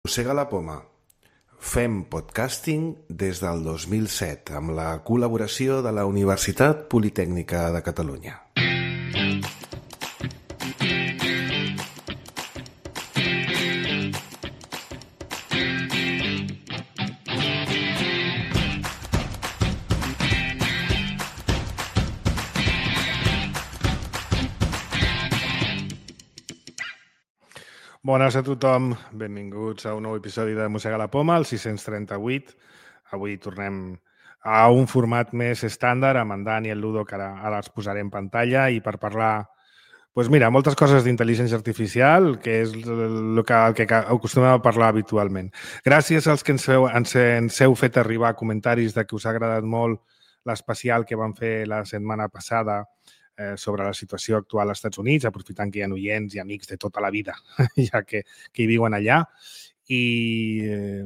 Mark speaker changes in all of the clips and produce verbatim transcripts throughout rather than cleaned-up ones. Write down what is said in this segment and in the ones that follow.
Speaker 1: Mossega la poma. Fem podcasting des del dos mil set amb la col·laboració de la Universitat Politècnica de Catalunya.
Speaker 2: Bones a tothom, benvinguts a un nou episodi de Mossega la Poma, el sis-cents trenta-vuit. Avui tornem a un format més estàndard amb en Dan i el Ludo, que ara, ara els posaré en pantalla, i per parlar, doncs mira, moltes coses d'intel·ligència artificial, que és el que, el que acostumem a parlar habitualment. Gràcies als que ens heu, ens, ens heu fet arribar comentaris de que us ha agradat molt l'especial que vam fer la setmana passada Eh, sobre la situació actual als Estats Units, aprofitant que hi ha oients i amics de tota la vida, ja que, que hi viuen allà. I eh,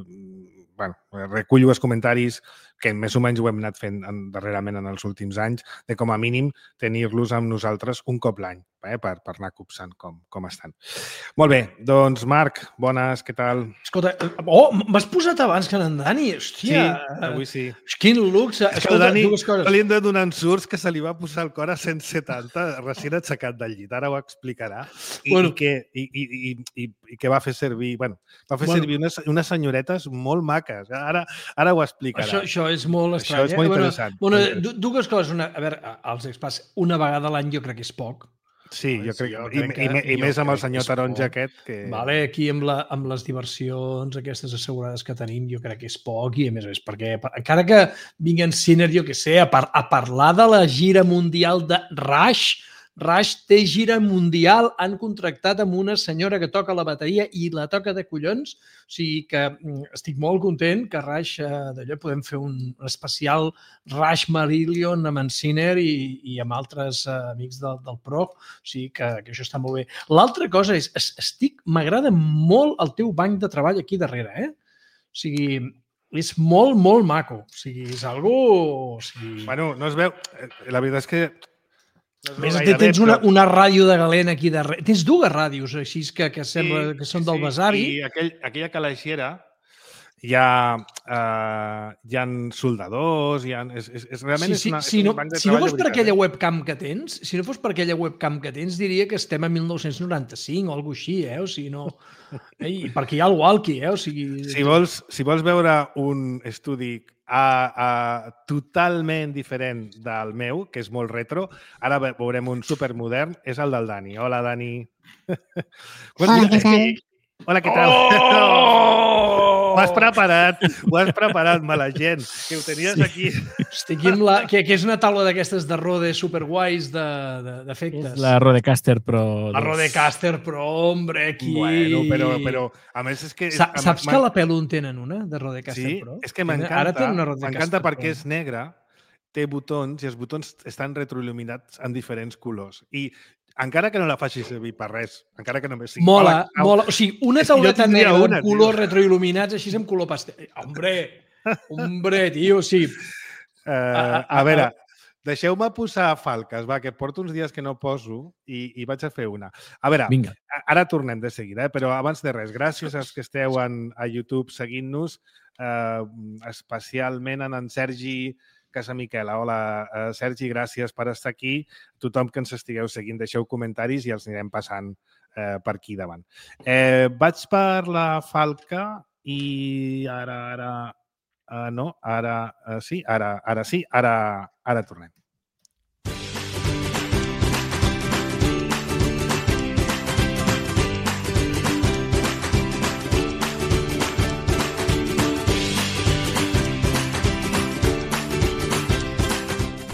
Speaker 2: bueno, recullo els comentaris que més o menys ho hem anat fent en, darrerament en els últims anys, de com a mínim tenir-los amb nosaltres un cop l'any, eh, per, per anar copsant com, com estan. Molt bé, doncs Marc, bones, què tal?
Speaker 3: Escolta, oh, m'has posat abans que en Dani, hòstia.
Speaker 2: Sí, avui sí.
Speaker 3: Quin luxe.
Speaker 2: És que el Dani li hem de donar ensurts que se li va posar el cor a cent setanta recient aixecat del llit, ara ho explicarà. I, bueno. i, que, i, i, i, i que va fer servir, bueno, va fer bueno. servir unes, unes senyoretes molt maques. Ara, ara ho explicarà.
Speaker 3: Això, això és molt estrany.
Speaker 2: Això és molt interessant.
Speaker 3: Bueno, bueno, dues coses. Una, a veure, als expats, una vegada a l'any jo crec que és poc.
Speaker 2: Sí, jo crec, jo crec que... I, i, i més amb el senyor taronja aquest que...
Speaker 3: Vale, aquí amb, la, amb les diversions aquestes assegurades que tenim jo crec que és poc i a més a més perquè encara que vinguen Ciner, jo què sé, a, par a parlar de la gira mundial de Rush, Rush té gira mundial, han contractat amb una senyora que toca la bateria i la toca de collons, o sigui que estic molt content que Rush, eh, d'allò podem fer un especial Rush Marillion amb en Ciner i, i amb altres eh, amics del, del Pro, o sigui que, que això està molt bé. L'altra cosa és, estic, m'agrada molt el teu banc de treball aquí darrere, eh? O sigui, és molt, molt maco, o sigui, és algo... O sigui...
Speaker 2: Bueno, no es veu, la veritat és que
Speaker 3: A més, tens una, una ràdio de galena aquí darrere. Tens dues ràdios, així que, que sembla que són del besavi.
Speaker 2: I aquell, aquella calaixera hi ha, uh, hi ha soldadors, hi ha, és, és, és, realment
Speaker 3: sí,
Speaker 2: sí, és, una,
Speaker 3: si
Speaker 2: és
Speaker 3: no,
Speaker 2: un banc de
Speaker 3: si no
Speaker 2: treball.
Speaker 3: Si no fos per aquella webcam que tens, si no fos per aquella webcam que tens, diria que estem a mil nou-cents noranta-cinc o alguna cosa així, eh? O sigui, no... Ei, perquè hi ha el walkie, eh? O sigui...
Speaker 2: Si vols, si vols veure un estudi a, a, totalment diferent del meu, que és molt retro, ara veurem un supermodern, és el del Dani. Hola, Dani.
Speaker 4: Hola, què tal?
Speaker 2: Hola, què tal?
Speaker 3: Oh!
Speaker 2: Ho has preparat, ho has preparat, mala gent, que ho tenies sí. aquí.
Speaker 3: Hosti, aquí amb la, que, que és una taula d'aquestes de Rode superguais d'efectes.
Speaker 4: És la Rodecaster Pro.
Speaker 3: La Rodecaster Pro, hombre, aquí...
Speaker 2: Bueno, però, però a més és que...
Speaker 3: Sa saps que a la Pelu en tenen una, de Rodecaster
Speaker 2: sí?
Speaker 3: Pro?
Speaker 2: Sí, és que m'encanta, m'encanta perquè és negra, té botons i els botons estan retroil·luminats en diferents colors. I encara que no la facis servir per res, encara que només sigui...
Speaker 3: Mola, Hola, mola. O sigui, una tauleta negra amb colors retroil·luminats, així amb color pastel. Hombre, hombre, tio, sí.
Speaker 2: Uh, a, a, a veure, deixeu-me posar falques, va, que porto uns dies que no poso i, i vaig a fer una. A veure,
Speaker 4: Vinga.
Speaker 2: Ara tornem de seguida, eh? Però abans de res, gràcies als que esteu en, a YouTube seguint-nos, eh, especialment en en Sergi Casa Miquela. Hola, uh, Sergi, gràcies per estar aquí. Tothom que ens estigueu seguint, deixeu comentaris i els anirem passant uh, per aquí davant. Eh, vaig per la falca i ara, ara... Uh, no, ara uh, sí, ara, ara sí, ara, ara tornem.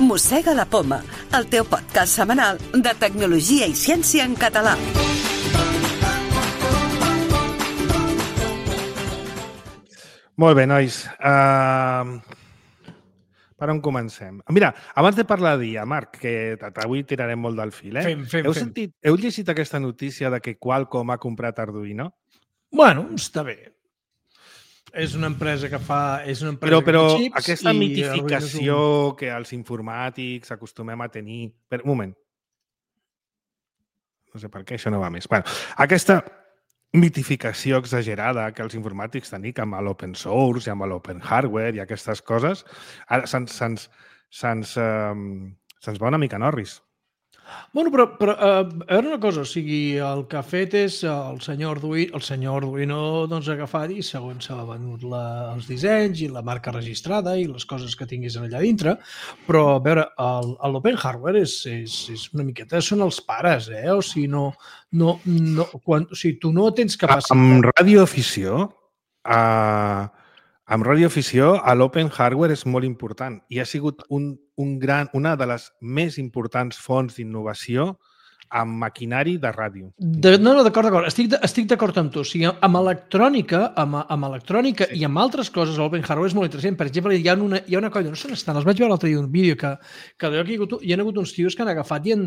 Speaker 5: Mossega la Poma, el teu podcast setmanal de tecnologia i ciència en català.
Speaker 2: Molt bé, nois. Uh, per on comencem? Mira, abans de parlar d'I A, Marc, que avui tirarem molt del fil, eh?
Speaker 3: Fem, fem,
Speaker 2: heu,
Speaker 3: fem.
Speaker 2: sentit, heu llegit aquesta notícia de que Qualcomm ha comprat Arduino?
Speaker 3: Bueno, està bé. És una empresa que fa... És una empresa
Speaker 2: però, però
Speaker 3: que fa xips
Speaker 2: aquesta
Speaker 3: i
Speaker 2: mitificació
Speaker 3: un...
Speaker 2: que els informàtics acostumem a tenir... Per, un moment. No sé per què això no va més. Bueno, aquesta mitificació exagerada que els informàtics tenim amb l'open source i amb l'open hardware i aquestes coses, ara se'ns se'ns se'ns eh, se'ns va una mica norris.
Speaker 3: Bueno, però, però uh, a veure una cosa, o sigui, el que ha fet és el senyor Arduino, el senyor Arduino doncs, ha agafat i segons s'ha venut la, els dissenys i la marca registrada i les coses que tinguis allà dintre, però a veure, l'open hardware és, és, és una miqueta, són els pares, eh? O sigui, no, no, no, quan, o sigui, tu no tens capacitat...
Speaker 2: Amb radioafició, uh, amb radioafició, l'open hardware és molt important i ha sigut un, un gran, una de les més importants fonts d'innovació amb maquinari de ràdio.
Speaker 3: De, no, no, d'acord, d'acord. Estic, estic d'acord amb tu. O sigui, amb electrònica, amb, amb electrònica sí. i amb altres coses, l'open hardware és molt interessant. Per exemple, hi ha una, hi ha una colla, no sé on estan, els vaig veure l'altre dia un vídeo que, que hi, ha hagut, hi ha hagut uns tios que han agafat i han,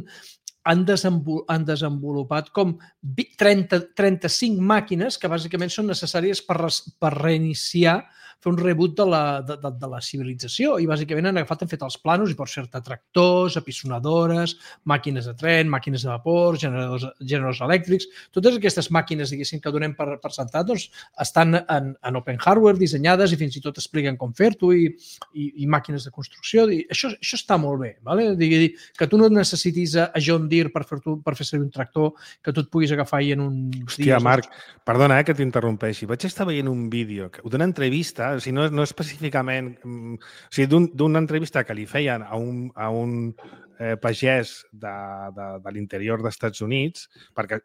Speaker 3: han, desenvol, han desenvolupat com trenta, trenta-cinc màquines que bàsicament són necessàries per, res, per reiniciar fer un reboot de la, de, de, de la civilització i bàsicament han agafat, han fet els planos i pots fer-te tractors, apisonadores, màquines de tren, màquines de vapor, generadors, generadors elèctrics, totes aquestes màquines, diguéssim, que donem per, per sentat, doncs, estan en, en open hardware, dissenyades i fins i tot expliquen com fer-ho i, i, i màquines de construcció. I això, això està molt bé, ¿vale? Digui, que tu no necessitis a John Deere per fer, per fer servir un tractor que tu et puguis agafar i en un...
Speaker 2: Hòstia, Marc, perdona eh, que t'interrompeixi. Vaig estar veient un vídeo d'una entrevista, o sigui, no, no específicament, o sigui, d'una entrevista que li feien a un, a un eh, pagès de, de, de l'interior dels Estats Units, perquè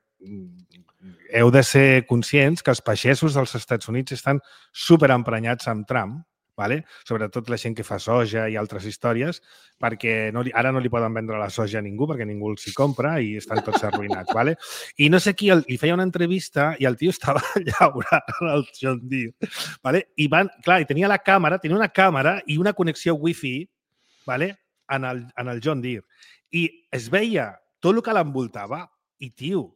Speaker 2: heu de ser conscients que els pagesos dels Estats Units estan superemprenyats amb Trump, vale? Sobretot la gent que fa soja i altres històries, perquè no li, ara no li poden vendre la soja a ningú perquè ningú els hi compra i estan tots arruïnats. Vale? I no sé qui el, li feia una entrevista i el tio estava llaurant el John Deere. Vale? I van, clar, i tenia la càmera, tenia una càmera i una connexió wifi, vale? en, el, en el John Deere. I es veia tot el que l'envoltava i, tio,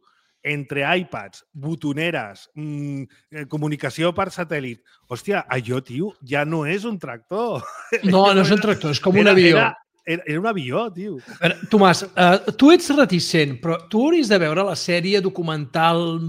Speaker 2: entre iPads, botoneres, mmm, comunicació per satèl·lit. Hòstia, allò, tio, ja no és un tractor.
Speaker 3: No, no és un tractor, és com un avió.
Speaker 2: Era, era, era un avió, tio.
Speaker 3: Veure, Tomàs, uh, tu ets reticent, però tu hauries de veure la sèrie documental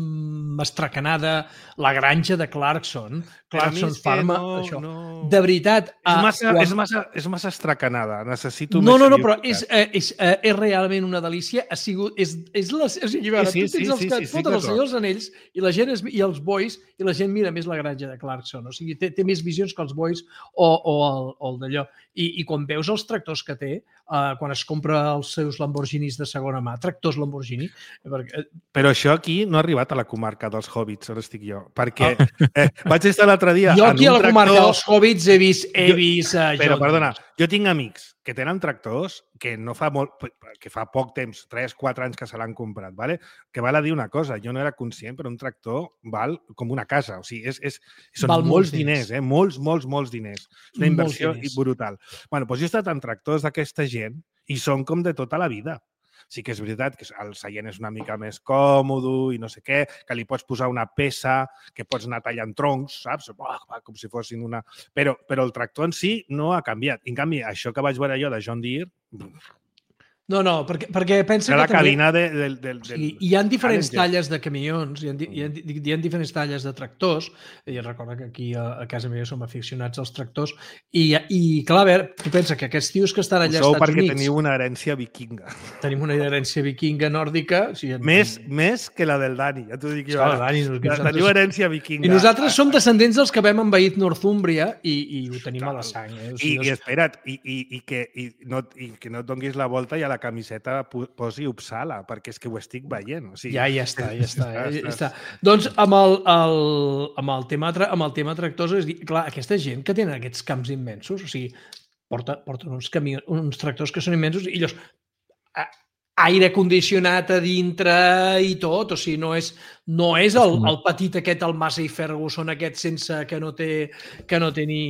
Speaker 3: mastracanada La granja de Clarkson, Clarkson Pharma,
Speaker 2: no,
Speaker 3: això.
Speaker 2: No.
Speaker 3: De veritat...
Speaker 2: És massa,
Speaker 3: quan...
Speaker 2: és massa, és massa estracanada. Necessito
Speaker 3: no,
Speaker 2: més...
Speaker 3: No, no, però és, és, és realment una delícia. Ha sigut... És, és la, o sigui, veure,
Speaker 2: sí, sí,
Speaker 3: tu tens
Speaker 2: sí,
Speaker 3: els
Speaker 2: sí,
Speaker 3: que
Speaker 2: sí,
Speaker 3: et foten
Speaker 2: sí,
Speaker 3: els senyors anells i la gent és, i els bois i la gent mira més La granja de Clarkson. O sigui, té, té més visions que els bois o, o el, o el d'allò. I, I quan veus els tractors que té, uh, quan es compra els seus Lamborghinis de segona mà, tractors Lamborghini... Perquè...
Speaker 2: Però això aquí no ha arribat a la comarca dels hobbits, on estic jo. Perquè eh, vaig estar l'altre dia
Speaker 3: jo
Speaker 2: en
Speaker 3: aquí
Speaker 2: un
Speaker 3: a la
Speaker 2: tractor...
Speaker 3: comarca dels hobbits he vist... He
Speaker 2: jo,
Speaker 3: vist uh,
Speaker 2: però, perdona, jo tinc amics que tenen tractors que no fa molt, que fa poc temps, tres, quatre anys que se l'han comprat, ¿vale? Que val a dir una cosa, jo no era conscient, però un tractor val com una casa. O sigui, és, és, són val molts diners, eh? Molts, molts, molts diners. És una inversió brutal. Bueno, doncs jo he estat en tractors d'aquesta gent i són com de tota la vida. Sí que és veritat que el seient és una mica més còmode i no sé què, que li pots posar una peça, que pots anar tallant troncs, saps? Com si fossin una... Però, però el tractor en si no ha canviat. En canvi, això que vaig veure jo de John Deere...
Speaker 3: No, no, perquè, perquè pensa
Speaker 2: la
Speaker 3: que també...
Speaker 2: cabina de, de, del... del...
Speaker 3: Sí, hi ha diferents talles de camions, hi ha, hi, ha, hi ha diferents talles de tractors, i recorda que aquí a, a casa meva som aficionats als tractors, i, i clar, a veure, tu pensa que aquests tios que estan allà als Estats
Speaker 2: perquè
Speaker 3: Units...
Speaker 2: teniu una herència vikinga.
Speaker 3: Tenim una herència vikinga nòrdica... Sí, en...
Speaker 2: més, més que la del Dani, ja t'ho dic jo.
Speaker 3: Clar, Dani, nosaltres...
Speaker 2: Teniu herència vikinga.
Speaker 3: I nosaltres som descendents dels que vam envair Northúmbria i, i ho tenim clar. A la sang. Eh? O
Speaker 2: sigui, I, i espera't, i, i, i, que, i, no, i que no et donguis la volta i a la camiseta posi Uppsala, perquè és que ho estic veient. O sigui,
Speaker 3: ja, ja està, ja està. Ja, ja està. Doncs amb el, el, amb, el tema, amb el tema tractors, és dir, clar, aquesta gent que tenen aquests camps immensos, o sigui, porten, porten uns, camions, uns tractors que són immensos i llavors aire condicionat a dintre i tot, o sigui, no és, no és el, el petit aquest, el Massey Ferguson aquest sense que no té, que no té ni,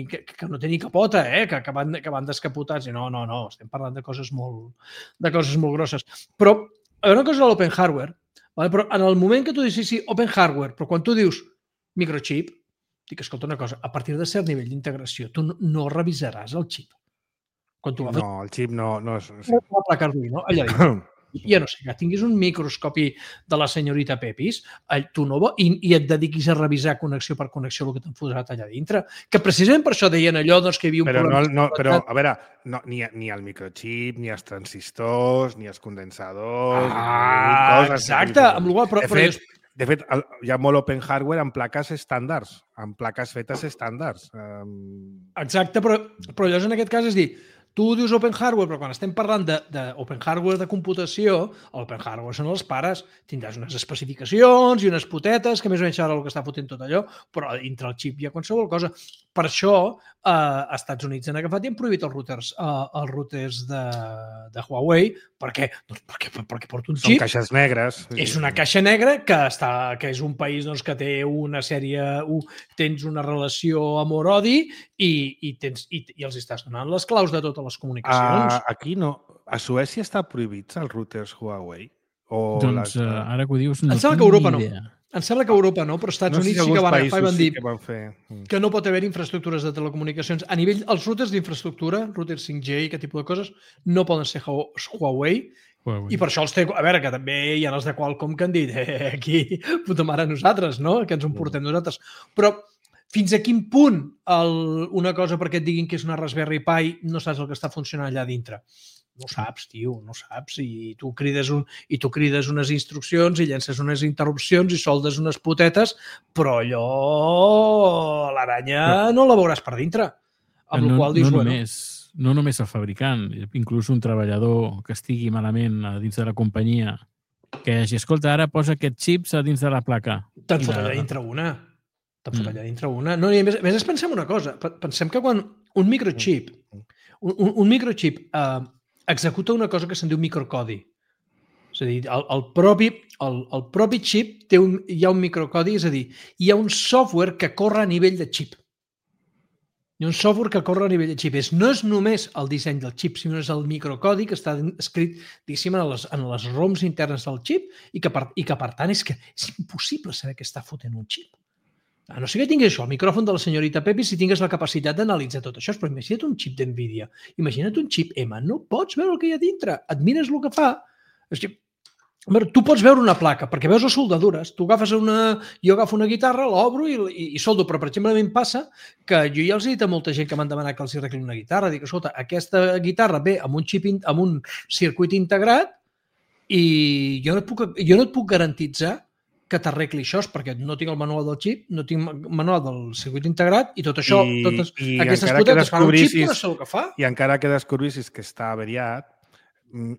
Speaker 3: que, que no té ni capota, eh? que, que, van, que van descapotats. No, no, no, estem parlant de coses molt, de coses molt grosses. Però, a veure una cosa de l'open hardware, vale? Però en el moment que tu dius, sí, sí, open hardware, però quan tu dius microchip, dic, escolta una cosa, a partir de cert nivell d'integració, tu no, no revisaràs el xip.
Speaker 2: No, el xip no... no és...
Speaker 3: Sí. La placa Arduino, allà dintre. ja no sé, que tinguis un microscopi de la senyorita Pepis, tu no vo... I, i et dediquis a revisar connexió per connexió el que t'han posat allà dintre. Que precisament per això deien allò doncs, que hi havia un
Speaker 2: però
Speaker 3: problema.
Speaker 2: No, no, però, a veure, no, ni, ni el microchip, ni els transistors, ni els condensadors...
Speaker 3: Ah,
Speaker 2: ni coses
Speaker 3: exacte. Amb la qual, però,
Speaker 2: de
Speaker 3: però
Speaker 2: fet, de fet, hi ha molt open hardware amb plaques estàndards, amb plaques fetes estàndards. Um...
Speaker 3: Exacte, però, però llavors en aquest cas és dir, tu dius open hardware, però quan estem parlant d'open hardware de computació, open hardware són els pares. Tindràs unes especificacions i unes potetes, que més o menys ara el que està fotent tot allò, però dintre el xip hi ha qualsevol cosa. Per això, eh, als Estats Units han agafat i han prohibit els routers, eh, els routers de, de Huawei. Per què? Doncs perquè, perquè porta un xip.
Speaker 2: Són caixes negres.
Speaker 3: És una caixa negra que, està, que és un país doncs, que té una sèrie... Uh, tens una relació amor-odi i, i, tens, i, i els estàs donant les claus de totes les comunicacions.
Speaker 2: Uh, aquí no. A Suècia està prohibits els routers Huawei? O
Speaker 4: doncs
Speaker 2: les...
Speaker 4: uh, ara que ho dius no
Speaker 3: em sembla
Speaker 4: tinc
Speaker 3: que Europa
Speaker 4: ni
Speaker 3: no.
Speaker 4: idea.
Speaker 3: Em sembla que Europa no, però als Estats
Speaker 2: no sé
Speaker 3: Units
Speaker 2: si
Speaker 3: sí que van agafar i van dir
Speaker 2: sí que, van fer.
Speaker 3: que no pot haver infraestructures de telecomunicacions. A nivell, els routers d'infraestructura, routers cinc G i aquest tipus de coses, no poden ser Huawei.
Speaker 4: Huawei.
Speaker 3: I per això els té... A veure, que també hi ha els de Qualcomm que han dit eh, aquí, puta mare, nosaltres, no? Que ens ho portem nosaltres. Però fins a quin punt el, una cosa perquè et diguin que és una Raspberry Pi no saps el que està funcionant allà dintre? No saps, tio, no saps. I tu crides, un, i tu crides unes instruccions i llences unes interrupcions i soldes unes potetes, però allò, l'aranya no la veuràs per dintre. Amb
Speaker 4: no,
Speaker 3: la qual dius,
Speaker 4: no,
Speaker 3: bueno...
Speaker 4: només, no només el fabricant, inclús un treballador que estigui malament a dins de la companyia, que hagi, escolta, ara posa aquest xips a dins de la placa.
Speaker 3: Te'n fot allà dintre una. Te'n fot allà dintre una. No, i a més, a més pensem una cosa. Pensem que quan un microchip, un, un, un microchip eh, executa una cosa que se'n diu microcodi. És a dir, el, el, propi, el, el propi xip té un, hi ha un microcodi, és a dir, hi ha un software que corre a nivell de xip. Hi ha un software que corre a nivell de xip. És, no és només el disseny del xip, sinó és el microcodi que està escrit, diguéssim, en les, en les ROMs internes del xip i que, per, i que, per tant, és que és impossible saber què està fotent un xip. A no sé que tingués això, el micròfon de la senyorita Pepi, si tingués la capacitat d'analitzar tot això, però imagina't un xip d'NVIDIA, imagina't un xip M, no pots veure el que hi ha dintre, admires el que fa. Tu pots veure una placa, perquè veus les soldadures, tu agafes una... Jo agafo una guitarra, l'obro i, i, i soldo, però per exemple a mi em passa que jo ja els he dit a molta gent que m'han demanat que els arregli una guitarra, dic, escolta, aquesta guitarra ve amb un xip, amb un circuit integrat i jo no et puc, jo no et puc garantitzar que t'arregli això, perquè no tinc el manual del xip, no tinc el manual del circuit integrat i tot això,
Speaker 2: I,
Speaker 3: totes
Speaker 2: i
Speaker 3: aquestes potetes fan un xip que no sé el que fa.
Speaker 2: I encara que descobrissis que està averiat,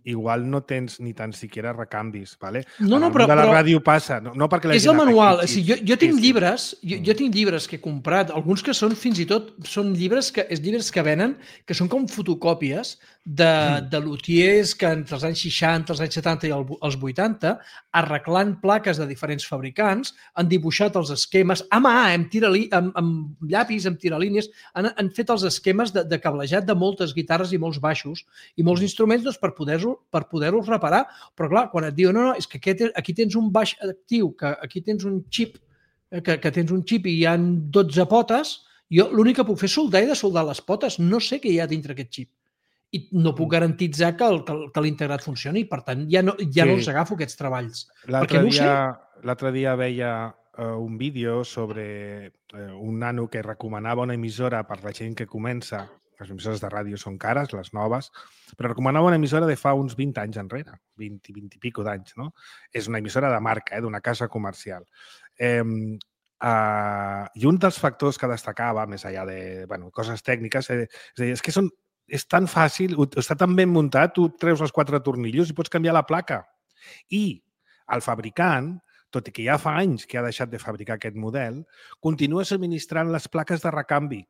Speaker 2: igual no tens ni tan siquiera recanvis, ¿vale?
Speaker 3: No, no, però...
Speaker 2: de la
Speaker 3: però
Speaker 2: ràdio passa, no, no perquè la
Speaker 3: és
Speaker 2: gent...
Speaker 3: el manual.
Speaker 2: Aquí,
Speaker 3: o sigui, jo, jo tinc
Speaker 2: sí, sí.
Speaker 3: llibres, jo, jo tinc llibres que he comprat, alguns que són fins i tot, són llibres que, és llibres que venen, que són com fotocòpies de, de lutiers que entre els anys seixanta, els anys setanta i els vuitanta, arreglant plaques de diferents fabricants, han dibuixat els esquemes, a mà, amb, tirali, amb, amb llapis, amb tiralínies, han, han fet els esquemes de, de cablejat de moltes guitarres i molts baixos i molts instruments doncs, per poder-los per poder-los reparar. Però clar, quan et diuen, no, no, és que aquest, aquí tens un baix actiu, que aquí tens un xip, que, que tens un xip i hi ha dotze potes, jo l'únic que puc fer és soldar i desoldar les potes. No sé què hi ha dintre aquest xip. I no puc garantitzar que, el, que l'integrat funcioni. Per tant, ja no, ja sí. no els agafo, aquests treballs. Perquè no ho sé.
Speaker 2: L'altre dia veia uh, un vídeo sobre uh, un nano que recomanava una emissora per la gent que comença. Les emissores de ràdio són cares, les noves, però recomanava una emissora de fa uns vint anys enrere, vint, vint i pico d'anys, no? És una emissora de marca, eh, d'una casa comercial. Eh, uh, I un dels factors que destacava, més enllà de bueno, coses tècniques, eh, és, dir, és que són, és tan fàcil, està tan ben muntat, tu treus els quatre tornillos i pots canviar la placa. I el fabricant, tot i que ja fa anys que ha deixat de fabricar aquest model, continua subministrant les plaques de recanvi.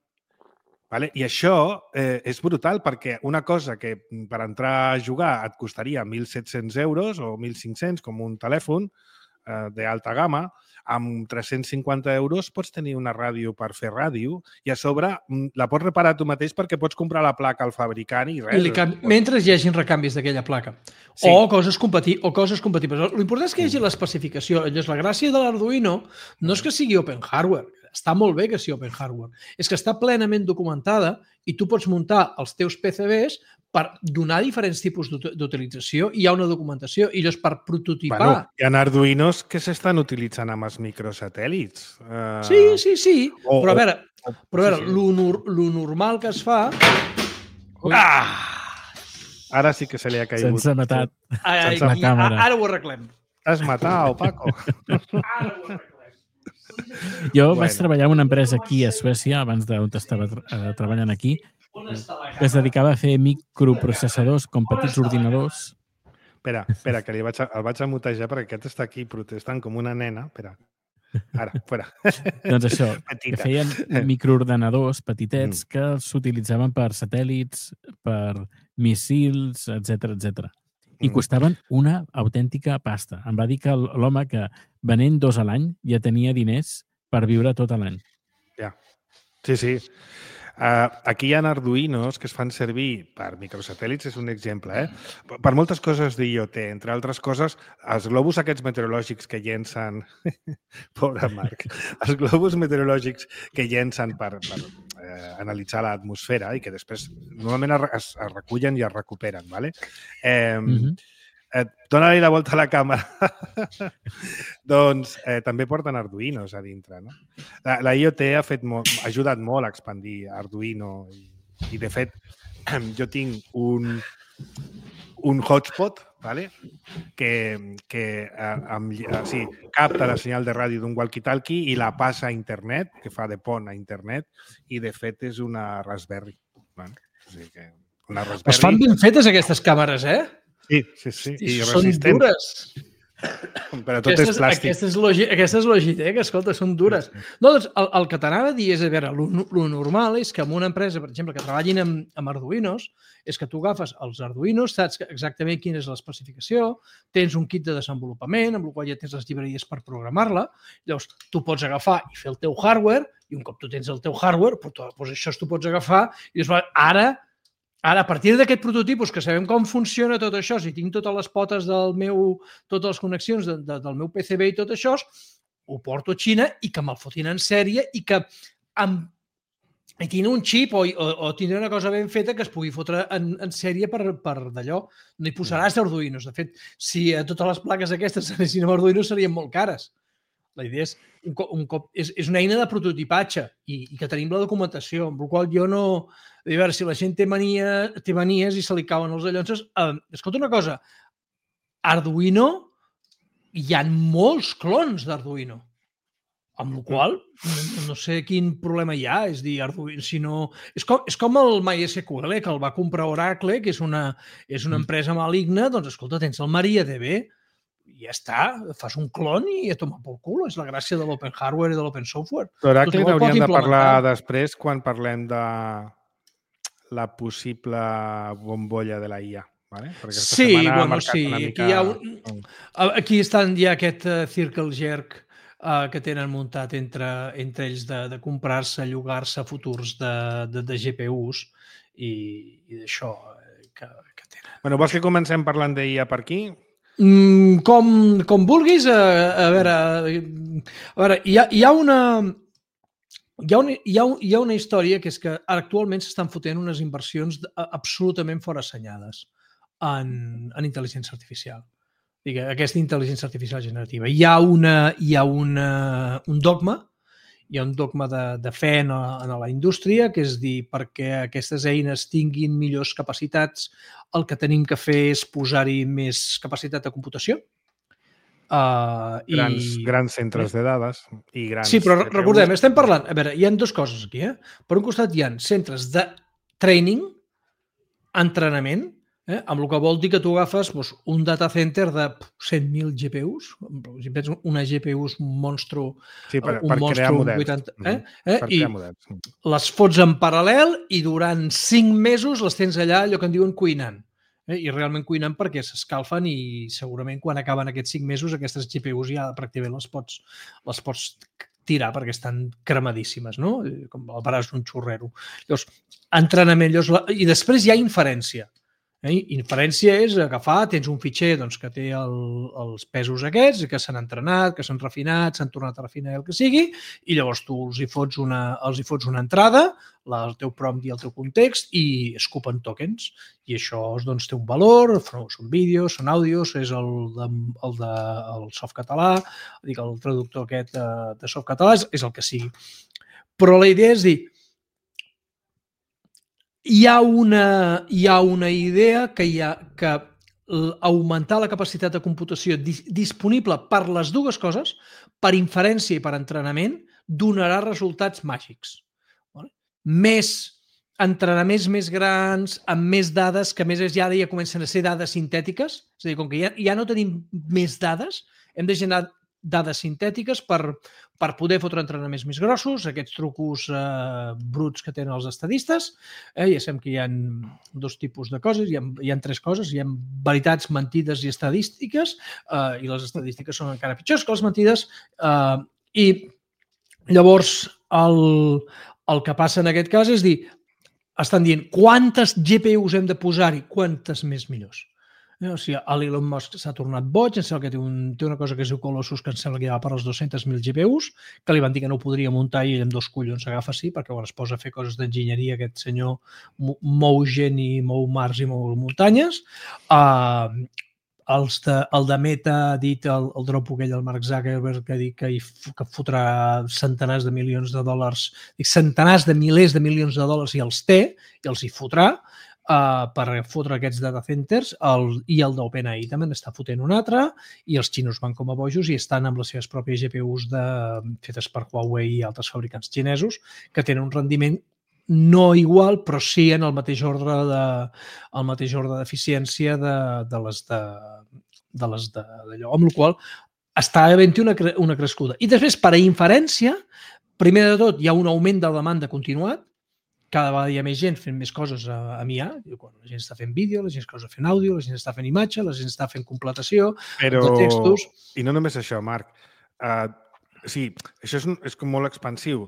Speaker 2: Vale? I això eh, és brutal perquè una cosa que per entrar a jugar et costaria mil set-cents euros o mil cinc-cents com un telèfon eh, d'alta gamma, amb tres-cents cinquanta euros pots tenir una ràdio per fer ràdio i a sobre la pots reparar tu mateix perquè pots comprar la placa al fabricant i res.
Speaker 3: I canvi... Mentre hi hagin recanvis d'aquella placa. Sí. O coses compati... o coses compatibles. L'important és que hi hagi l'especificació. Llavors, la gràcia de l'Arduino no és que sigui open hardware. Està molt bé que sigui open hardware. És que està plenament documentada i tu pots muntar els teus P C Bs per donar diferents tipus d'utilització hi ha una documentació i llavors per prototipar...
Speaker 2: Bueno, hi ha Arduinos que s'estan utilitzant amb els microsatèl·lits. Uh,
Speaker 3: sí, sí, sí.
Speaker 2: o,
Speaker 3: però a veure,
Speaker 2: o,
Speaker 3: però a veure
Speaker 2: sí, sí.
Speaker 3: lo, nor lo normal que es fa...
Speaker 2: Ah! Ara sí que se li ha caigut.
Speaker 4: Se'ns ha matat
Speaker 3: Ai,
Speaker 4: la
Speaker 3: aquí,
Speaker 4: càmera.
Speaker 3: Ara ho arreglem.
Speaker 2: T'has matat, Paco.
Speaker 3: Ara ho arreglem.
Speaker 4: Jo
Speaker 2: Bueno.
Speaker 4: vaig treballar en una empresa aquí a Suècia, abans d'on estava eh, treballant aquí, que es dedicava a fer microprocessadors com petits ordinadors.
Speaker 2: Espera, espera, que li vaig a, el vaig a mutejar perquè aquest està aquí protestant com una nena. Espera. Ara, fora.
Speaker 4: Doncs això,
Speaker 2: Petita.
Speaker 4: que feien microordenadors petitets que s'utilitzaven per satèl·lits, per missils, etcètera, etcètera. I
Speaker 2: Mm.
Speaker 4: costaven una autèntica pasta. Em va dir que l'home que venent dos a l'any ja tenia diners per viure tot l'any.
Speaker 2: Ja. Sí, sí. Uh, aquí hi ha Arduinos que es fan servir per microsatèl·lits, és un exemple, eh? Per moltes coses d'IoT, entre altres coses, els globus aquests meteorològics que llencen... Pobre Marc. Els globus meteorològics que llencen per, per eh, analitzar l'atmosfera i que després normalment es, es recullen i es recuperen, ¿vale? Eh,
Speaker 4: Mhm.
Speaker 2: Eh, Dóna-li la volta a la càmera. Doncs eh, també porten Arduinos a dintre, no? La, la IoT ha, fet molt, ha ajudat molt a expandir Arduino i, i de fet, jo tinc un, un hotspot, ¿vale? que, que eh, amb, eh, sí, capta la senyal de ràdio d'un walkie-talkie i la passa a internet, que fa de pont a internet, i de fet és una Raspberry. Vale? O sigui que una Raspberry...
Speaker 3: Es fan ben fetes aquestes càmeres, eh?
Speaker 2: Sí, sí, sí.
Speaker 3: I
Speaker 2: I
Speaker 3: són
Speaker 2: resistent.
Speaker 3: dures.
Speaker 2: Però tot
Speaker 3: Aquestes,
Speaker 2: és plàstic.
Speaker 3: aquestes, logi, aquestes Logitech, escolta, són dures. No, doncs el, el que t'anava a dir és, a veure, lo normal és que en una empresa, per exemple, que treballin amb, amb Arduinos, és que tu agafes els Arduinos, saps exactament quina és l'especificació, tens un kit de desenvolupament, amb el qual ja tens les llibreries per programar-la, llavors tu pots agafar i fer el teu hardware, i un cop tu tens el teu hardware, doncs això tu pots agafar, i dius, ara... Ara, a partir d'aquest prototipus, que sabem com funciona tot això, si tinc totes les potes del meu, totes les connexions de, de, del meu P C B i tot això, ho porto a Xina i que me'l fotin en sèrie i que amb, i tindré un xip o, o, o tindré una cosa ben feta que es pugui fotre en, en sèrie per, per d'allò. No hi posaràs Arduinos. De fet, si a totes les plaques aquestes anessin amb Arduinos serien molt cares. La idea és, un cop, un cop, és, és una eina de prototipatge i, i que tenim la documentació, amb la qual jo no... A veure, si la gent té, mania, té manies i se li cauen els allonses... Eh, escolta una cosa, Arduino, hi ha molts clons d'Arduino, amb la qual no, no sé quin problema hi ha, és dir, Arduino, si no... És com, és com el MySQL, que el va comprar Oracle, que és una, és una empresa maligna, doncs escolta, tens el MariaDB, i ja està, fas un clon i a tomar pel cul. És la gràcia de l'open hardware i de l'open software.
Speaker 2: D'Oracle n'hauríem de parlar després quan parlem de la possible bombolla de la I A. Vale?
Speaker 3: Sí, bueno, sí. Mica... Aquí, hi ha un... aquí estan ja aquest uh, circle jerk uh, que tenen muntat entre, entre ells de, de comprar-se, llogar-se futurs de, de, de G P Us i, i d'això que, que tenen.
Speaker 2: Bueno, vols que comencem parlant d'I A per aquí?
Speaker 3: Mm, com, com vulguis, a, a veure, a veure hi, ha, hi ha una hi ha una, hi ha, hi ha una història que és que actualment s'estan fotent unes inversions absolutament forassenyades en, en intel·ligència artificial. Digue, aquesta intel·ligència artificial generativa. Hi ha, una, hi ha una, un dogma hi ha un dogma de, de fe en, en la indústria, que és dir, perquè aquestes eines tinguin millors capacitats, el que tenim que fer és posar-hi més capacitat de computació. Uh,
Speaker 2: grans,
Speaker 3: i...
Speaker 2: grans centres de dades i grans...
Speaker 3: Sí, però recordem, estem parlant... A veure, hi ha dues coses aquí. Eh? Per un costat hi ha centres de training, entrenament, eh? amb el que vol dir que tu agafes doncs, un data center de cent mil G P Us, si tens una G P U és un monstru,
Speaker 2: sí, per,
Speaker 3: un
Speaker 2: per
Speaker 3: monstru
Speaker 2: crear models.
Speaker 3: vuitanta, eh?
Speaker 2: Mm-hmm.
Speaker 3: Eh?
Speaker 2: Per
Speaker 3: I
Speaker 2: crear models.
Speaker 3: Les fots en paral·lel i durant cinc mesos les tens allà, allò que en diuen cuinant. Eh? I realment cuinant perquè s'escalfen i segurament quan acaben aquests cinc mesos aquestes G P Us ja pràcticament les pots, les pots tirar perquè estan cremadíssimes, no? Com el baràs d'un xurrero. Llavors, entrenament, llavors, i després hi ha inferència. Eh? Inferència és agafar, tens un fitxer doncs, que té el, els pesos aquests, que s'han entrenat, que s'han refinat, s'han tornat a refinar el que sigui, i llavors tu els hi fots una, els hi fots una entrada, la, el teu prompt i el teu context, i escupen tokens. I això doncs, té un valor, són vídeos, són àudios, és el, de, el, de, el softcatalà, dic, el traductor aquest de, de softcatalà, és el que sigui. Però la idea és dir, Hi ha, una, hi ha una idea que, hi ha, que augmentar la capacitat de computació dis, disponible per les dues coses, per inferència i per entrenament, donarà resultats màgics. Vale? Més entrenaments més grans, amb més dades, que a més ja, ja comencen a ser dades sintètiques, és a dir, com que ja, ja no tenim més dades, hem de generar dades sintètiques per, per poder fotre entrenaments més grossos, aquests trucos eh, bruts que tenen els estadistes. Eh, ja sabem que hi ha dos tipus de coses, hi ha, hi ha tres coses, hi ha veritats, mentides i estadístiques, eh, i les estadístiques són encara pitjors que les mentides, eh, i llavors el, el que passa en aquest cas és dir, estan dient quantes G P Us hem de posar-hi, quantes més millors. O sigui, l'Elon Musk s'ha tornat boig, em sembla que té, un, té una cosa que es diu Colossus, que em sembla que ja va per als dos-cents mil G P Us, que li van dir que no ho podria muntar i ell amb dos collons s'agafa sí, perquè quan es posa a fer coses d'enginyeria aquest senyor mou gent i mou mars i mou muntanyes. Uh, els de, el de Meta ha dit, el, el dropo aquell del Mark Zuckerberg, que ha dit que, hi, que fotrà centenars de milions de dòlars, centenars de milers de milions de dòlars i els té, i els hi fotrà, Uh, per fotre aquests data centers, el, i el d'OpenAI també n'està fotent un altre, i els xinos van com a bojos i estan amb les seves pròpies G P Us de, fetes per Huawei i altres fabricants xinesos, que tenen un rendiment no igual, però sí en el mateix ordre de, el mateix ordre d'eficiència de, de les de, de les de, d'allò, amb la qual està havent-hi una, una crescuda. I després, per a inferència, primer de tot, hi ha un augment de demanda continuat, cada vegada hi ha més gent fent més coses a, a I A, la gent està fent vídeo, la gent està fent àudio, la gent està fent imatge, la gent està fent completació
Speaker 2: Però...
Speaker 3: de textos.
Speaker 2: I no només això, Marc. Uh, sí, això és, és com molt expansiu.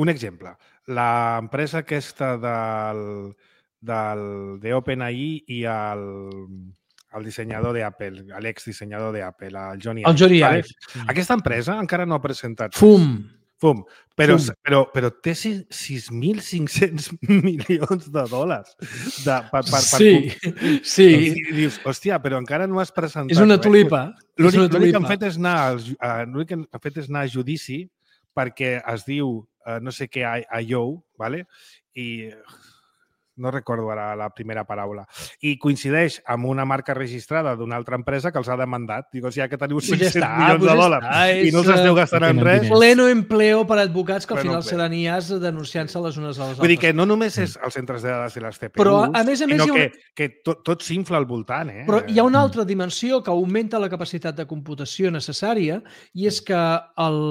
Speaker 2: Un exemple, l'empresa aquesta del, del, de OpenAI i el, el dissenyador d'Apple, l'ex-dissenyador d'Apple, el Johnny Ive.
Speaker 3: El Johnny Ive.
Speaker 2: Vale? Aquesta empresa encara no ha presentat...
Speaker 3: Fum!
Speaker 2: Fum. Però,
Speaker 3: Fum.
Speaker 2: però, però té sis mil cinc-cents milions de dòlars. De, per, per,
Speaker 3: sí,
Speaker 2: per...
Speaker 3: sí.
Speaker 2: I, I dius, hòstia, però encara no has presentat...
Speaker 3: És una tulipa.
Speaker 2: L'únic que han fet és anar, uh, l'únic que han fet és anar a judici perquè es diu uh, no sé què I O, ¿vale? I no recordo ara la primera paraula. I coincideix amb una marca registrada d'una altra empresa que els ha demandat. Dic, o sigui, que teniu cinc-cents milions de dòlars i no els esteu gastant en res.
Speaker 3: Pleno empleo per advocats que al final seran I As denunciant-se les unes a les altres.
Speaker 2: Vull dir que no només és els centres de dades i les T P Us,
Speaker 3: però, a més a més,
Speaker 2: sinó
Speaker 3: una...
Speaker 2: que, que tot, tot s'infla al voltant. Eh?
Speaker 3: Però hi ha una altra dimensió que augmenta la capacitat de computació necessària i és que el,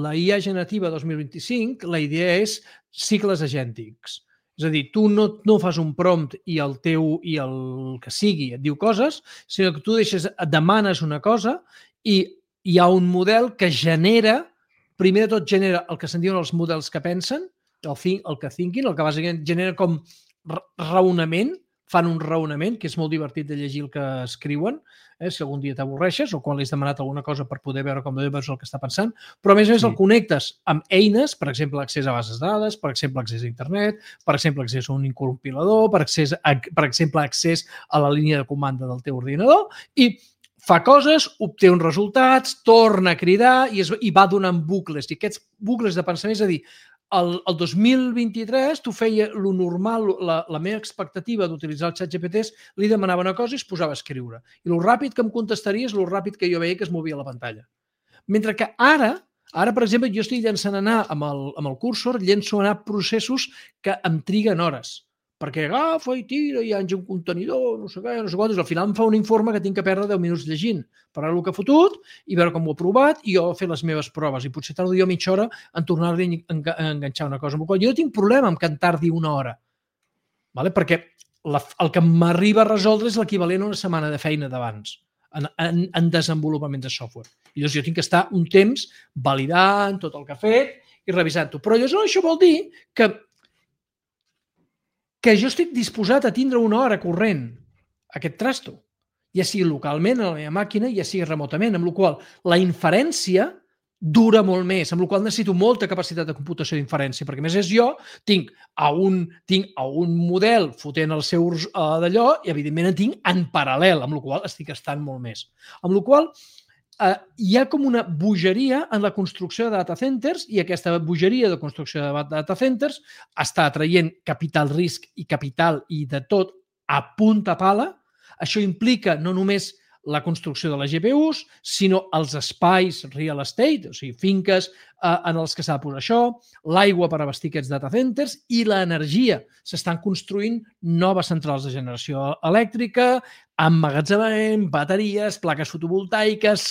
Speaker 3: la I A generativa dos mil vint-i-cinc, la idea és cicles agèntics. És a dir, tu no, no fas un prompt i el teu i el que sigui et diu coses, sinó que tu deixes, et demanes una cosa i hi ha un model que genera, primer de tot genera el que se'n diuen els models que pensen, el, think, el que thinking, el que bàsicament genera com raonament, fan un raonament, que és molt divertit de llegir el que escriuen, eh, si algun dia t'avorreixes o quan li has demanat alguna cosa per poder veure com veus el que està pensant, però a més a més sí. El connectes amb eines, per exemple, accés a bases de dades, per exemple, accés a internet, per exemple, accés a un compilador, per, accés a, per exemple, accés a la línia de comanda del teu ordinador i fa coses, obté uns resultats, torna a cridar i, es, i va donant bucles. I aquests bucles de pensament, és a dir, El, el dos mil vint-i-tres tu feia lo normal, la, la meva expectativa d'utilitzar el xat G P Ts, li demanava una cosa i es posava a escriure. I lo ràpid que em contestaria és lo ràpid que jo veia que es movia a la pantalla. Mentre que ara, ara per exemple, jo estic llançant anar amb el, amb el cursor, llenço anar processos que em triguen hores. Perquè agafa i tira i enja un contenidor, no sé què, no sé quantos. Al final em fa un informe que tinc que perdre deu minuts llegint per veure el que ha fotut i veure com ho ha provat i jo fer les meves proves. I potser tardo jo mitja hora en tornar-li a enganxar una cosa. Amb la qual jo no tinc problema amb que en tardi una hora. Vale? Perquè la, el que m'arriba a resoldre és l'equivalent a una setmana de feina d'abans en, en, en desenvolupament de software. I llavors jo tinc que estar un temps validant tot el que ha fet i revisant-ho. Però llavors això vol dir que que jo estic disposat a tindre una hora corrent aquest trasto, ja sigui localment a la meva màquina, ja sigui remotament, amb la qual la inferència dura molt més, amb la qual necessito molta capacitat de computació d'inferència, perquè a més és jo, tinc a un, tinc a un model fotent els seus uh, d'allò i evidentment en tinc en paral·lel, amb la qual estic gastant molt més. Amb la qual uh, hi ha com una bogeria en la construcció de data centers i aquesta bogeria de construcció de data centers està atraient capital risc i capital i de tot a punta pala. Això implica no només la construcció de les G P Us, sinó els espais real estate, o sigui, finques eh, en els que s'ha de posar això, l'aigua per abastir aquests data centers i l'energia. S'estan construint noves centrals de generació elèctrica, emmagatzemament, bateries, plaques fotovoltaiques,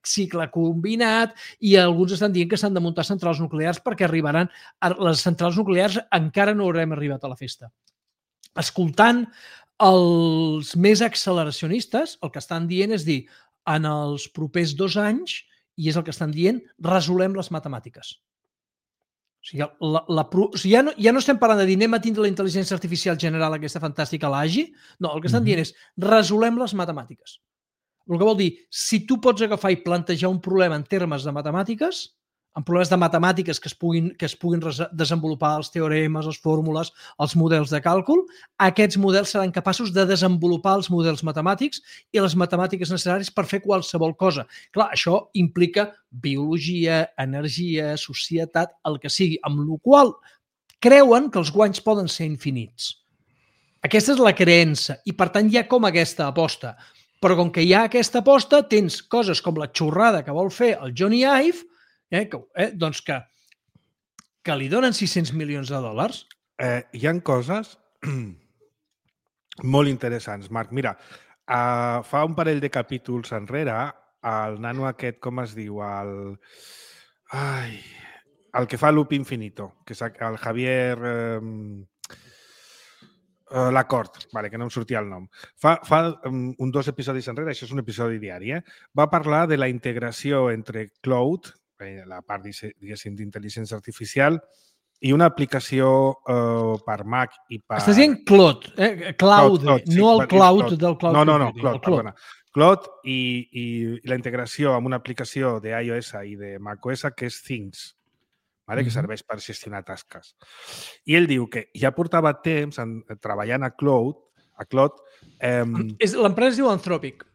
Speaker 3: cicle combinat, i alguns estan dient que s'han de muntar centrals nuclears perquè arribaran... A les centrals nuclears encara no haurem arribat a la festa. Escoltant els més acceleracionistes, el que estan dient és dir, en els propers dos anys, i és el que estan dient, resolem les matemàtiques. O sigui, la, la, o sigui ja, no, ja no estem parlant de dir anem a tindre la intel·ligència artificial general aquesta fantàstica, l'A G I, no, el que estan dient és resolem les matemàtiques. El que vol dir, si tu pots agafar i plantejar un problema en termes de matemàtiques, en problemes de matemàtiques que es puguin, que es puguin desenvolupar els teoremes, les fórmules, els models de càlcul, aquests models seran capaços de desenvolupar els models matemàtics i les matemàtiques necessàries per fer qualsevol cosa. Clar, això implica biologia, energia, societat, el que sigui, amb la qual creuen que els guanys poden ser infinits. Aquesta és la creença i, per tant, hi ha com aquesta aposta. Però com que hi ha aquesta aposta, tens coses com la xorrada que vol fer el Johnny Ive, Eh, que, eh, doncs que, que li donen sis-cents milions de dòlars.
Speaker 2: Eh, hi ha coses molt interessants, Marc. Mira, uh, fa un parell de capítols enrere, el nano aquest, com es diu? El, ai, el que fa Loop Infinito, que és el Javier... Eh, Uh, l'acord, vale, que no em sortia el nom. Fa, fa um, un dos episodis enrere, això és un episodi diari, eh? Va parlar de la integració entre Cloud, eh, la part, diguéssim, d'intel·ligència artificial, i una aplicació uh, per Mac i per...
Speaker 3: Estàs dient Cloud, eh? Cloud,
Speaker 2: Cloud, Cloud sí,
Speaker 3: no el cloud,
Speaker 2: cloud
Speaker 3: del Cloud.
Speaker 2: No, no, no,
Speaker 3: Cloud,
Speaker 2: Cloud, perdona. Cloud i, i, i la integració amb una aplicació d'iOS i de macOS que és Things, vale? Que serveix per gestionar tasques. I ell diu que ja portava temps en, treballant a Cloud, a Cloud... Eh,
Speaker 3: L'empresa es diu Anthropic.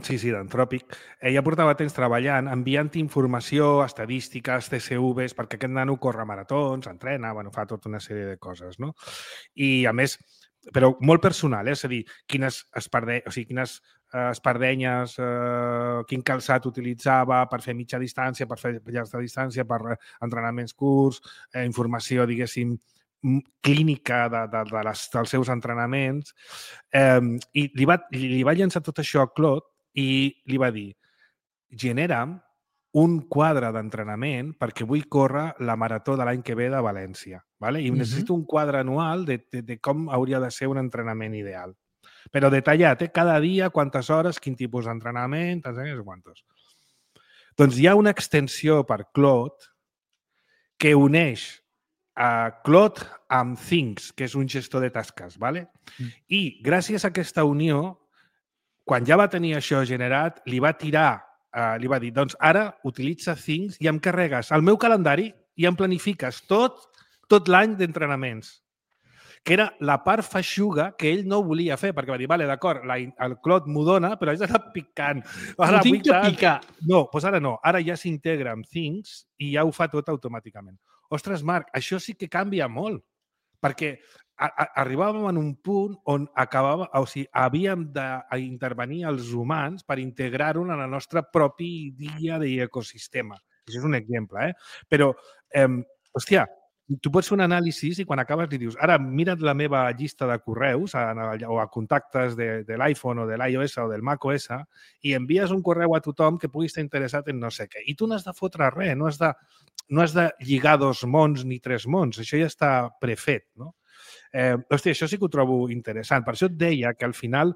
Speaker 2: Sí, sí, d'Anthropic. Eh, ja portava temps treballant, enviant informació, estadístiques, T C Vs, perquè aquest nano corre maratons, entrena, bueno, fa tota una sèrie de coses, no? I, a més, però molt personal, eh? És a dir, quines, esparde... o sigui, quines eh, espardenyes, eh, quin calçat utilitzava per fer mitja distància, per fer llarga distància, per entrenaments curts, eh, informació, diguéssim, clínica de, de, de les, dels seus entrenaments. Eh, I li va, li va llançar tot això a Claude i li va dir, genera'm un quadre d'entrenament perquè vull córrer la marató de l'any que ve de València. ¿Vale? I uh-huh. necessito un quadre anual de, de, de com hauria de ser un entrenament ideal. Però detallat, eh? Cada dia, quantes hores, quin tipus d'entrenament, tants anys, quantos. Doncs hi ha una extensió per Claude que uneix a Claude amb Things, que és un gestor de tasques. ¿Vale? Mm. I gràcies a aquesta unió, quan ja va tenir això generat, li va tirar, uh, li va dir, doncs ara utilitza Things i em carregues el meu calendari i em planifiques tot, tot l'any d'entrenaments. Que era la part feixuga que ell no volia fer, perquè va dir, vale, d'acord, el Claude m'ho dona, però haig d'anar picant.
Speaker 3: Ara, no tinc que picar.
Speaker 2: No, doncs ara no. Ara ja s'integra amb Things i ja ho fa tot automàticament. Ostres, Marc, això sí que canvia molt, perquè a, a, arribàvem en un punt on acabava, o sigui, havíem d'intervenir els humans per integrar-ho en el nostre propi dia d'ecosistema. Això és un exemple, eh? Però, eh, hòstia, tu pots fer un anàlisi i quan acabes li dius, ara mira't la meva llista de correus a, o a contactes de, de l'iPhone o de l'iOS o del macOS i envies un correu a tothom que pugui estar interessat en no sé què. I tu no has de fotre res, no has de, no has de lligar dos mons ni tres mons, això ja està prefet, no? Eh, hòstia, això sí que ho trobo interessant. Per això et deia que al final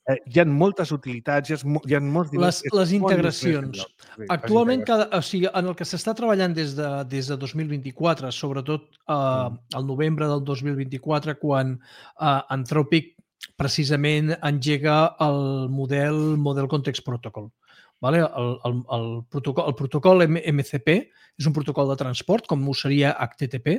Speaker 2: eh, hi ha moltes utilitats, hi ha, hi ha molts...
Speaker 3: Les, les integracions. Sí, actualment, cada, o sigui, en el que s'està treballant des de, des de dos mil vint-i-quatre, sobretot eh, mm. el novembre del dos mil vint-i-quatre, quan eh, Anthropic precisament engega el model Model Context Protocol. Vale? El, el, el, protocol, el protocol M C P és un protocol de transport, com ho seria H T T P,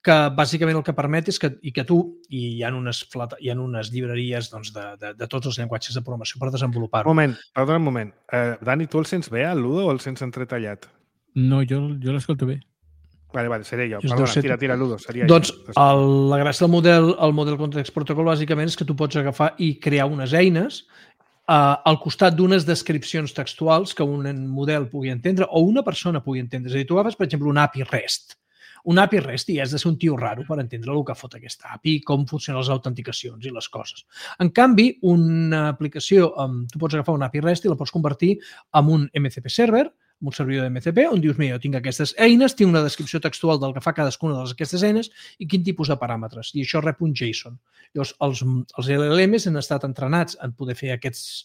Speaker 3: que bàsicament el que permet és que, i que tu, i hi ha unes, hi ha unes llibreries doncs, de, de, de tots els llenguatges de programació per desenvolupar-ho.
Speaker 2: Un moment, perdona un moment. Uh, Dani, tu el sents bé, el Ludo, o el sents entretallat?
Speaker 4: No, jo, jo l'escolto bé.
Speaker 2: Vale, vale, seré jo.
Speaker 3: Just
Speaker 2: Perdona,
Speaker 3: ser...
Speaker 2: tira, tira, Ludo. Seria
Speaker 3: doncs
Speaker 2: jo.
Speaker 3: el, la gràcia del model, el model Context Protocol bàsicament és que tu pots agafar i crear unes eines Uh, al costat d'unes descripcions textuals que un model pugui entendre o una persona pugui entendre. És a dir, tu agafes, per exemple, un A P I REST. Un A P I REST i has de ser un tio raro per entendre el que fot aquesta A P I, com funcionen les autenticacions i les coses. En canvi, una aplicació, um, tu pots agafar un A P I REST i la pots convertir en un M C P server, en un servidor de M C P, on dius, mira, jo tinc aquestes eines, tinc una descripció textual del que fa cadascuna d'aquestes eines i quin tipus de paràmetres. I això rep un JSON. Llavors, els, els L L Ms han estat entrenats en poder fer aquests,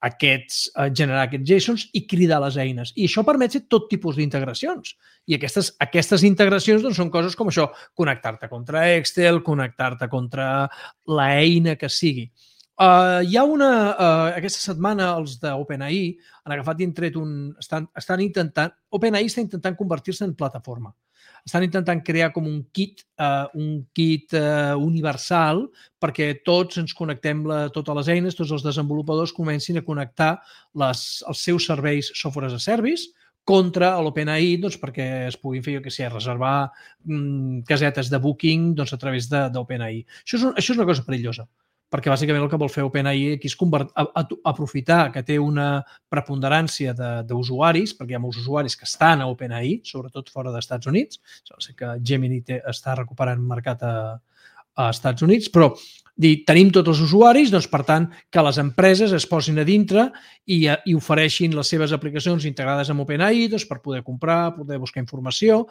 Speaker 3: aquests eh, generar aquests JSONs i cridar les eines. I això permet fer tot tipus d'integracions. I aquestes, aquestes integracions doncs, són coses com això, connectar-te contra Excel, connectar-te contra l'eina que sigui. Uh, hi ha una... Uh, aquesta setmana els d'OpenAI han agafat i han tret un... Estan, estan intentant... OpenAI està intentant convertir-se en plataforma. Estan intentant crear com un kit, uh, un kit uh, universal perquè tots ens connectem, la, totes les eines, tots els desenvolupadors comencin a connectar les, els seus serveis software as a service contra l'OpenAI doncs, perquè es puguin fer, jo què sé, reservar mm, casetes de booking doncs, a través d'OpenAI. Això, és un, això és una cosa perillosa, perquè bàsicament el que vol fer OpenAI aquí és convert, a, a, aprofitar que té una preponderància d'usuaris, perquè hi ha molts usuaris que estan a OpenAI, sobretot fora dels Estats Units. Sé que Gemini té, està recuperant mercat a, a Estats Units, però dir, tenim tots els usuaris, doncs, per tant, que les empreses es posin a dintre i, i ofereixin les seves aplicacions integrades amb OpenAI doncs, per poder comprar, poder buscar informació,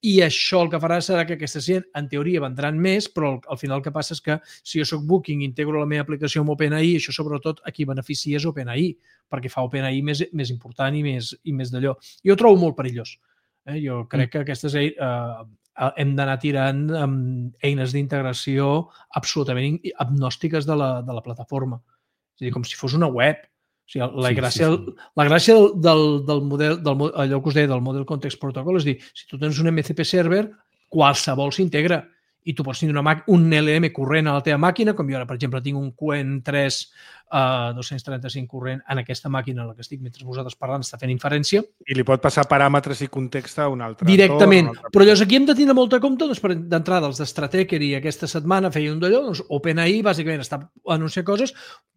Speaker 3: i això el que farà serà que aquestes gent, en teoria, vendran més, però al final el que passa és que si jo soc Booking i integro la meva aplicació amb OpenAI, això sobretot a qui beneficia és OpenAI, perquè fa OpenAI més, més important i més, i més d'allò. Jo ho trobo molt perillós. Eh? Jo crec que aquestes... Eh, hem d'anar tirant amb eines d'integració absolutament agnòstiques de la, de la plataforma. És a dir, com si fos una web. O sigui, la, sí, gràcia, sí, sí. la gràcia del, del model, del, allò que us deia, del Model Context Protocol, és dir, si tu tens un M C P server, qualsevol s'integra i tu pots tenir una un L M corrent a la teva màquina, com jo ara, per exemple, tinc un Q N tres uh, dos-cents trenta-cinc corrent en aquesta màquina en la que estic mentre vosaltres parlant, està fent inferència.
Speaker 2: I li pot passar paràmetres i context a un altre.
Speaker 3: Directament.
Speaker 2: Entorn, un altre...
Speaker 3: Però llavors aquí hem de tenir molta compte, doncs, d'entrada, els d'Stratecher i aquesta setmana feia un d'allò, doncs OpenAI bàsicament està anunciant coses,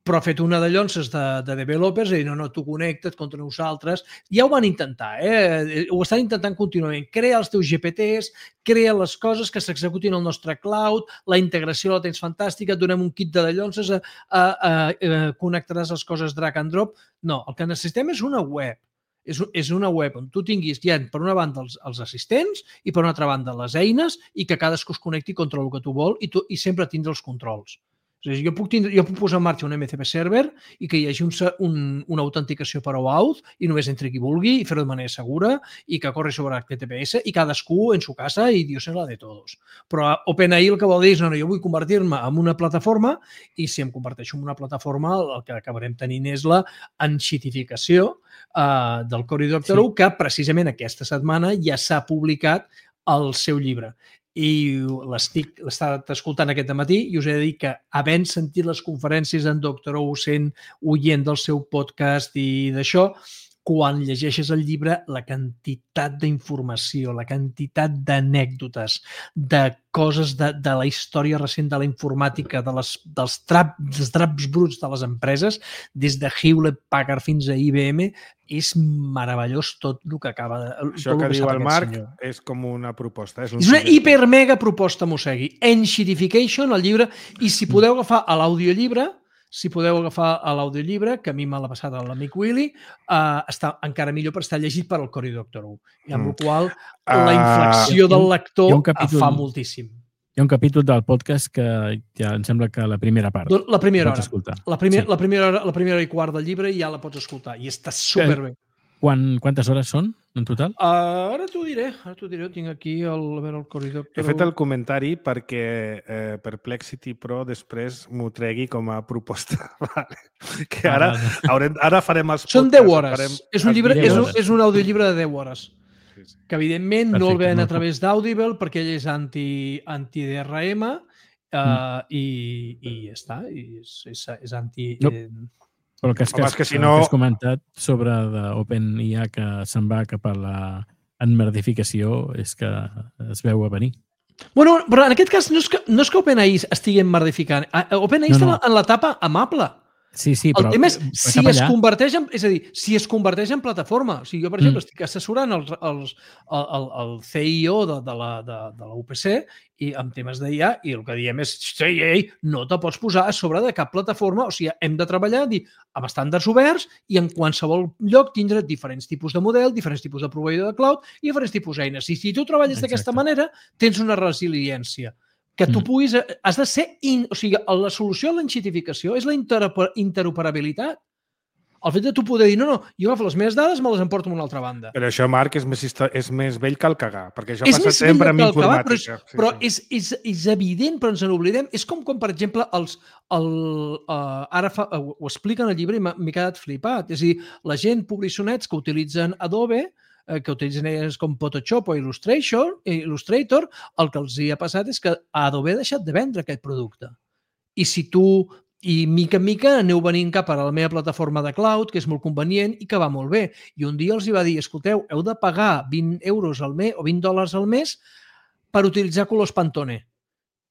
Speaker 3: però ha fet una de llonces de, de developers i no, no, tu connecta't contra nosaltres. Ja ho van intentar, eh? Ho estan intentant contínuament. Crea els teus G P Ts, crea les coses que s'executin al nostre cloud, la integració la tens fantàstica, et donem un kit de llonces, a, a, a, a, connectaràs les coses drag and drop. No, el que necessitem és una web. És, és una web on tu tinguis ja, per una banda, els, els assistents i per una altra banda, les eines i que cadascú es connecti contra el que tu vol i, tu, i sempre tindre els controls. És a dir, jo, puc tindre, jo puc posar en marxa un M C P server i que hi hagi un, un, una autenticació per OAuth i només entri qui vulgui i fer-ho de manera segura i que corri sobre H T T P S i cadascú en su casa i Dios en la de todos. Però OpenAI el que vol dir és no, no, jo vull convertir-me en una plataforma i si em converteixo en una plataforma el que acabarem tenint és la enxitificació uh, del Cory Doctorow, sí. Que precisament aquesta setmana ja s'ha publicat el seu llibre. I l'estic l'estat escoltant aquest matí i us he de dir que havent sentit les conferències d'en Doctorow, sent oient del seu podcast i d'això, quan llegeixes el llibre, la quantitat d'informació, la quantitat d'anècdotes, de coses de, de la història recent de la informàtica, de les, dels, trap, dels draps bruts de les empreses, des de Hewlett Packard fins a I B M, és meravellós tot el que acaba de...
Speaker 2: Això que, que diu el Marc senyor. És com una proposta. És, un
Speaker 3: és una hipermega proposta, Mossegui. Enxitification, el llibre, i si podeu agafar a l'audiollibre, si podeu agafar a l'audiollibre, que a mi m'ha la passat l'amic Willy, uh, està encara millor per estar llegit per al Cory Doctorow. I amb mm. la qual la inflexió uh, del lector capítol, fa moltíssim.
Speaker 4: Hi ha un capítol del podcast que ja em sembla que la primera part.
Speaker 3: La primera hora.
Speaker 4: Escoltar.
Speaker 3: La, primer,
Speaker 4: sí.
Speaker 3: la, primera hora. La primera hora i quart del llibre ja la pots escoltar i està superbé.
Speaker 4: Quan, quantes hores són en total?
Speaker 3: Uh, ara t'ho diré, ara t'ho diré. Tinc aquí el, a veure, el corridor.
Speaker 2: He fet el comentari perquè eh, Perplexity Pro després m'ho tregui com a proposta. Vale. Que ara, haurem, ara farem els
Speaker 3: Són
Speaker 2: podcasts,
Speaker 3: deu hores.
Speaker 2: farem
Speaker 3: És un, llibre,
Speaker 4: deu
Speaker 3: és, un,
Speaker 4: hores.
Speaker 3: és un audiollibre de deu hores.
Speaker 2: Sí, sí.
Speaker 3: Que evidentment no el
Speaker 4: Perfecte,
Speaker 3: ven a
Speaker 4: molt
Speaker 3: través d'Audible perquè ell és anti, anti-D R M uh,
Speaker 4: Mm.
Speaker 3: i, i ja està. I és, és, és anti...
Speaker 4: No.
Speaker 3: Eh,
Speaker 4: Però el que, has,
Speaker 2: Home, és que si
Speaker 4: el
Speaker 2: no-
Speaker 4: que has comentat sobre OpenIA que se'n va cap a la enmerdificació és que es veu a venir.
Speaker 3: Bueno, però en aquest cas no és que, no és que OpenAI estigui emmerdificant. OpenAI
Speaker 4: No,
Speaker 3: està
Speaker 4: no.
Speaker 3: en l'etapa amable.
Speaker 4: Sí, sí,
Speaker 3: El
Speaker 4: però
Speaker 3: tema és si
Speaker 4: cap
Speaker 3: es
Speaker 4: allà,
Speaker 3: converteix en, és a dir, si es converteix en plataforma. O sigui, jo, per
Speaker 4: Mm.
Speaker 3: exemple, estic assessorant els, els, el, el, el C I O de, de, la, de, de la U P C i amb temes d'I A i el que diem és ei, ei, no te pots posar a sobre de cap plataforma. O sigui, hem de treballar dir, amb estàndards oberts i en qualsevol lloc tindre diferents tipus de model, diferents tipus de proveïdor de cloud i diferents tipus d'eines. I si tu treballes d'aquesta
Speaker 4: Exacte.
Speaker 3: manera, tens una resiliència que tu
Speaker 4: Mm.
Speaker 3: puguis... Has de ser... In, o sigui, la solució a l'enxitificació és la interoper- interoperabilitat. El fet de tu poder dir, no, no, jo agafo les meves dades, me les emporto a una altra banda.
Speaker 2: Però això, Marc, és més, histo- és més vell que el cagar, perquè això
Speaker 3: És
Speaker 2: passa
Speaker 3: més
Speaker 2: sempre
Speaker 3: vell
Speaker 2: amb
Speaker 3: que el que va, però, és,
Speaker 2: informàtica. Sí,
Speaker 3: però
Speaker 2: sí.
Speaker 3: És, és, és evident, però ens n'oblidem. És com quan, per exemple, els, el, uh, ara fa, uh, ho explica en el llibre i m'ha m'he quedat flipat. És a dir, la gent publiçonets que utilitzen Adobe, eh, que utilitzen eines com Photoshop o Illustrator, Illustrator, el que els hi ha passat és que Adobe ha deixat de vendre aquest producte. I si tu, i mica en mica aneu venint cap a la meva plataforma de cloud, que és molt convenient i que va molt bé. I un dia els hi va dir, escolteu, heu de pagar vint euros al mes o vint dòlars al mes per utilitzar colors Pantone.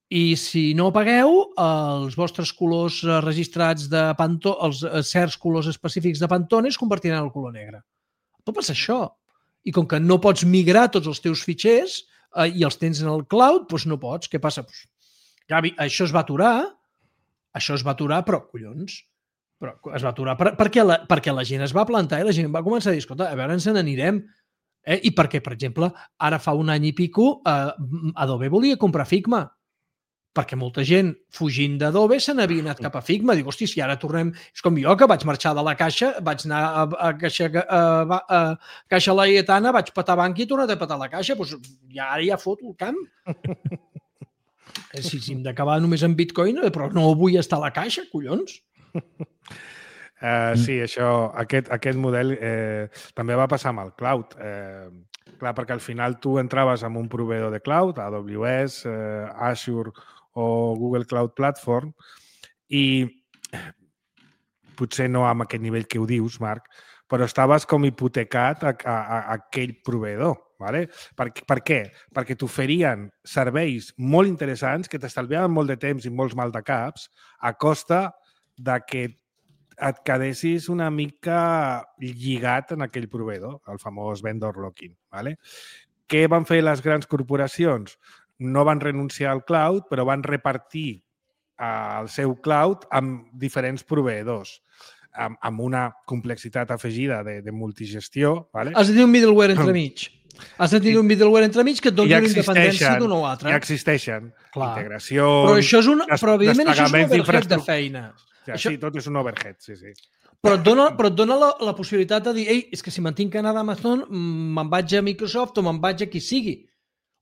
Speaker 3: I si no pagueu, els vostres colors eh, registrats de Pantone, els eh, certs colors específics de Pantone es convertiran en el color negre. Pot passar això. I com que no pots migrar tots els teus fitxers eh, i els tens en el cloud, doncs no pots. Què passa? Pues, Gavi, això es va aturar, això es va aturar, però, collons, però es va aturar per, perquè, la, perquè la gent es va plantar i la gent va començar a dir, escolta, a veure, ens n'anirem. Eh? I perquè, per exemple, ara fa un any i pico, eh, Adobe volia comprar Figma, perquè molta gent fugint d'Adobe se n'havia anat cap a Figma. Dic, hosti, si ara tornem... És com jo, que vaig marxar de la Caixa, vaig anar a, a, Caixa, a, a, a Caixa Laietana, vaig petar banca i he tornat a petar la Caixa. Doncs ja ara ja foto el camp. Si, si hem d'acabar només amb Bitcoin, però no vull estar a la Caixa, collons.
Speaker 2: Uh, sí, això, aquest, aquest model eh, també va passar amb el cloud. Eh, clar, perquè al final tu entraves amb un proveïdor de cloud, A W S, eh, Azure o Google Cloud Platform, i potser no amb aquest nivell que ho dius, Marc, però estaves com hipotecat a, a, a aquell proveïdor. Vale? Per, per què? Perquè t'oferien serveis molt interessants que t'estalviaven molt de temps i molts maldecaps a costa de que et quedessis una mica lligat en aquell proveïdor, el famós vendor locking. Vale? Què van fer les grans corporacions? No van renunciar al cloud, però van repartir el seu cloud amb diferents proveïdors, amb, amb una complexitat afegida de, de multigestió. Vale?
Speaker 3: Has de tenir un middleware entremig. Has de tenir un middleware entremig que et doni
Speaker 2: ja
Speaker 3: una independència d'un o altre.
Speaker 2: Ja existeixen.
Speaker 3: Clar.
Speaker 2: Integracions,
Speaker 3: Però això és un, però evidentment això és un
Speaker 2: desplegaments
Speaker 3: overhead de
Speaker 2: d'infraestructura.
Speaker 3: feina.
Speaker 2: Ja,
Speaker 3: Això-
Speaker 2: Sí, tot és un overhead, sí, sí.
Speaker 3: Però et dona, però et dona la, la possibilitat de dir, ei, és que si me'n tinc que anar d'Amazon, mm, me'n vaig a Microsoft o me'n vaig a qui sigui.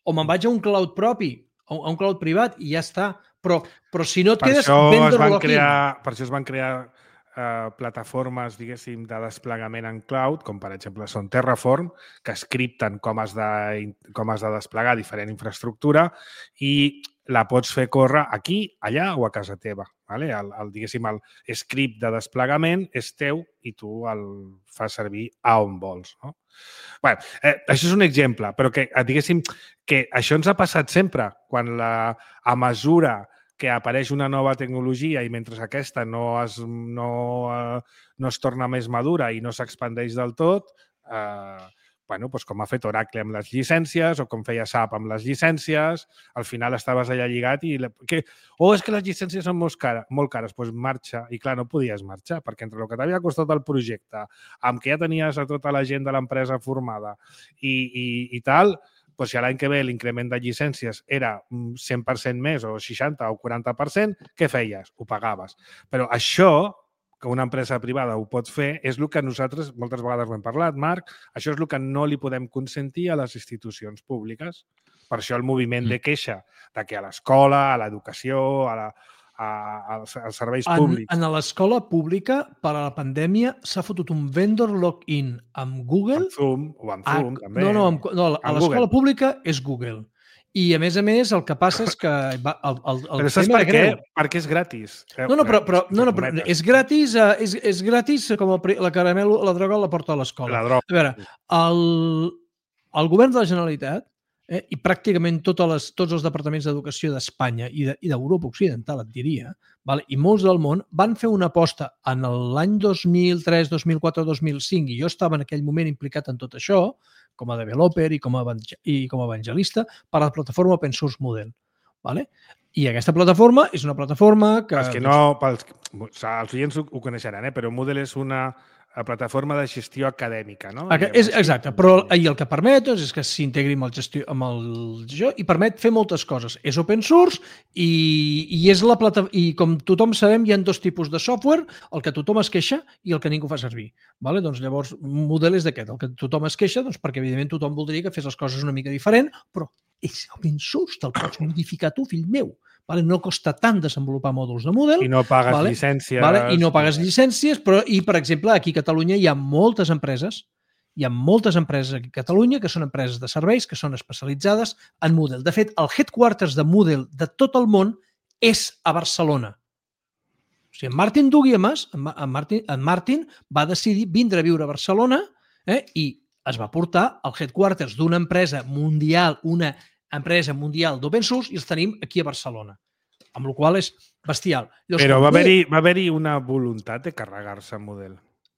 Speaker 3: O me'n vaig a un cloud propi, a un, a un cloud privat, i ja està. Però, però si no et
Speaker 2: Per
Speaker 3: quedes
Speaker 2: això, es
Speaker 3: vendor
Speaker 2: van
Speaker 3: locking.
Speaker 2: crear, per això es van crear eh, plataformes, diguéssim, de desplegament en cloud, com per exemple són Terraform, que scripten com has de, com has de desplegar diferent infraestructura i la pots fer córrer aquí, allà o a casa teva. Vale? El, el, diguéssim, el script de desplegament és teu i tu el fas servir a on vols. No? Bé, eh, això és un exemple, però que, diguéssim, que això ens ha passat sempre, quan la, a mesura que apareix una nova tecnologia i mentre aquesta no es, no, eh, no es torna més madura i no s'expandeix del tot, eh, bueno, doncs com ha fet Oracle amb les llicències o com feia S A P amb les llicències, al final estaves allà lligat i... Que, oh, és que les llicències són molt cares, molt cares, doncs marxa. I clar, no podies marxar, perquè entre el que t'havia costat el projecte, amb que ja tenies a tota la gent de l'empresa formada i, i, i tal, doncs si l'any que ve l'increment de llicències era cent per cent més o seixanta o quaranta per cent, què feies? Ho pagaves. Però això, que una empresa privada ho pot fer, és el que nosaltres moltes vegades ho hem parlat, Marc, això és el que no li podem consentir a les institucions públiques. Per això el moviment de queixa de que a l'escola, a l'educació, a la, a, als, als serveis públics...
Speaker 3: En, en l'escola pública, per a la pandèmia, s'ha fotut un vendor login amb Google...
Speaker 2: Amb Zoom, o amb Zoom,
Speaker 3: a,
Speaker 2: també.
Speaker 3: No, no, amb, no a l'escola pública és Google. I, a més a més, el que passa és que... Va, el, el, el
Speaker 2: però saps per què? Perquè és gratis.
Speaker 3: No, no, però, però, no, no, però és gratis, és, és gratis com el, la caramel, la droga la porta a l'escola.
Speaker 2: La droga.
Speaker 3: A veure, el, el govern de la Generalitat eh, i pràcticament totes les, tots els departaments d'educació d'Espanya i d'Europa Occidental, et diria, vale? I molts del món van fer una aposta en l'any dos mil tres, dos mil quatre, dos mil cinc, i jo estava en aquell moment implicat en tot això, com a developer i com a, i com a evangelista, per a la plataforma Open Source Moodle. Vale? I aquesta plataforma és una plataforma que...
Speaker 2: Els que no... Pels, els oients ho, ho coneixeran, eh? Però Moodle és una plataforma de gestió acadèmica, no?
Speaker 3: És, exacte, però i el que permet doncs, és que s'integri amb el gestió, amb el gestió i permet fer moltes coses. És open source i, i és la plata, i com tothom sabem hi ha dos tipus de software, el que tothom es queixa i el que ningú fa servir. Vale? Doncs llavors, un model és d'aquest, el que tothom es queixa, doncs, perquè evidentment tothom voldria que fes les coses una mica diferent, però és open source, te'l pots modificar tu, fill meu. Vale? No costa tant desenvolupar mòduls de Moodle.
Speaker 2: I no pagues
Speaker 3: vale?
Speaker 2: llicències.
Speaker 3: Vale? I no pagues llicències, però, i per exemple, aquí a Catalunya hi ha moltes empreses, hi ha moltes empreses aquí a Catalunya que són empreses de serveis, que són especialitzades en Moodle. De fet, el headquarters de Moodle de tot el món és a Barcelona. O sigui, en Martin Duguiemas, en Martin, en Martin va decidir vindre a viure a Barcelona eh, i es va portar al headquarters d'una empresa mundial, una empresa mundial d'open source, i els tenim aquí a Barcelona, amb la qual és bestial. Llavors,
Speaker 2: però va haver-hi va haver-hi una voluntat de carregar-se el model.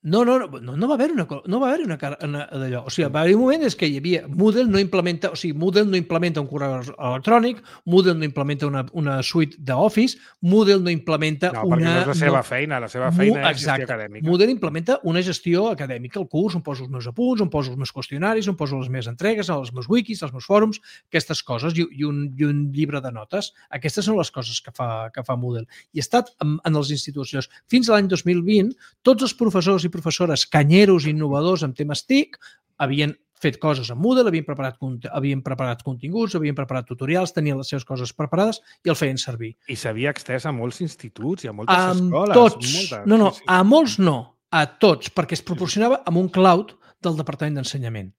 Speaker 3: No, no, no, no va haver una, no va haver una, una d'allò. O sigui, va haver un moment és que hi havia Moodle no implementa, o sigui, Moodle no implementa un correu electrònic, Moodle no implementa una, una suite d'Office, Moodle no implementa
Speaker 2: no,
Speaker 3: una...
Speaker 2: No, perquè no és la seva
Speaker 3: no,
Speaker 2: feina, la seva feina
Speaker 3: Mo,
Speaker 2: és gestió acadèmica.
Speaker 3: Moodle implementa una gestió acadèmica, el curs, on poso els meus apunts, on poso els meus qüestionaris, on poso les meves entregues, els meus wikis, els meus fòrums, aquestes coses, i, i, un, i un llibre de notes. Aquestes són les coses que fa, que fa Moodle. I ha estat en, en les institucions. Fins a l'any dos mil vint, tots els professors i professores canyeros innovadors en temes T I C havien fet coses amb Moodle, havien preparat, havien preparat continguts, havien preparat tutorials, tenien les seves coses preparades i el feien servir.
Speaker 2: I s'havia extès a molts instituts i a moltes
Speaker 3: a
Speaker 2: escoles.
Speaker 3: Tots.
Speaker 2: Moltes.
Speaker 3: No, no, a molts no, a tots, perquè es proporcionava amb un cloud del Departament d'Ensenyament.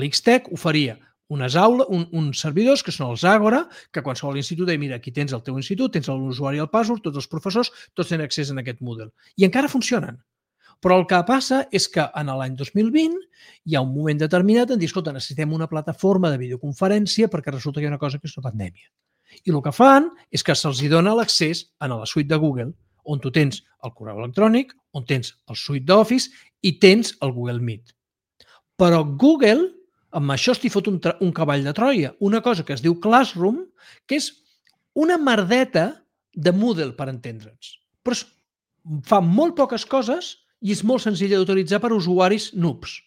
Speaker 3: L'X T E C oferia unes aules, un, uns servidors, que són els Àgora, que qualsevol institut deia, mira, aquí tens el teu institut, tens l'usuari i el password, tots els professors, tots tenen accés a aquest Moodle. I encara funcionen. Però el que passa és que en l'any dos mil vint hi ha un moment determinat en dir, escolta, necessitem una plataforma de videoconferència perquè resulta que hi ha una cosa que és una pandèmia. I el que fan és que se'ls dona l'accés a la suite de Google, on tu tens el correu electrònic, on tens el suite d'Office i tens el Google Meet. Però Google, amb això estic fot un, un cavall de Troia, una cosa que es diu Classroom, que és una merdeta de Moodle, per entendre'ns. Però fa molt poques coses i és molt senzill d'utilitzar per usuaris noobs.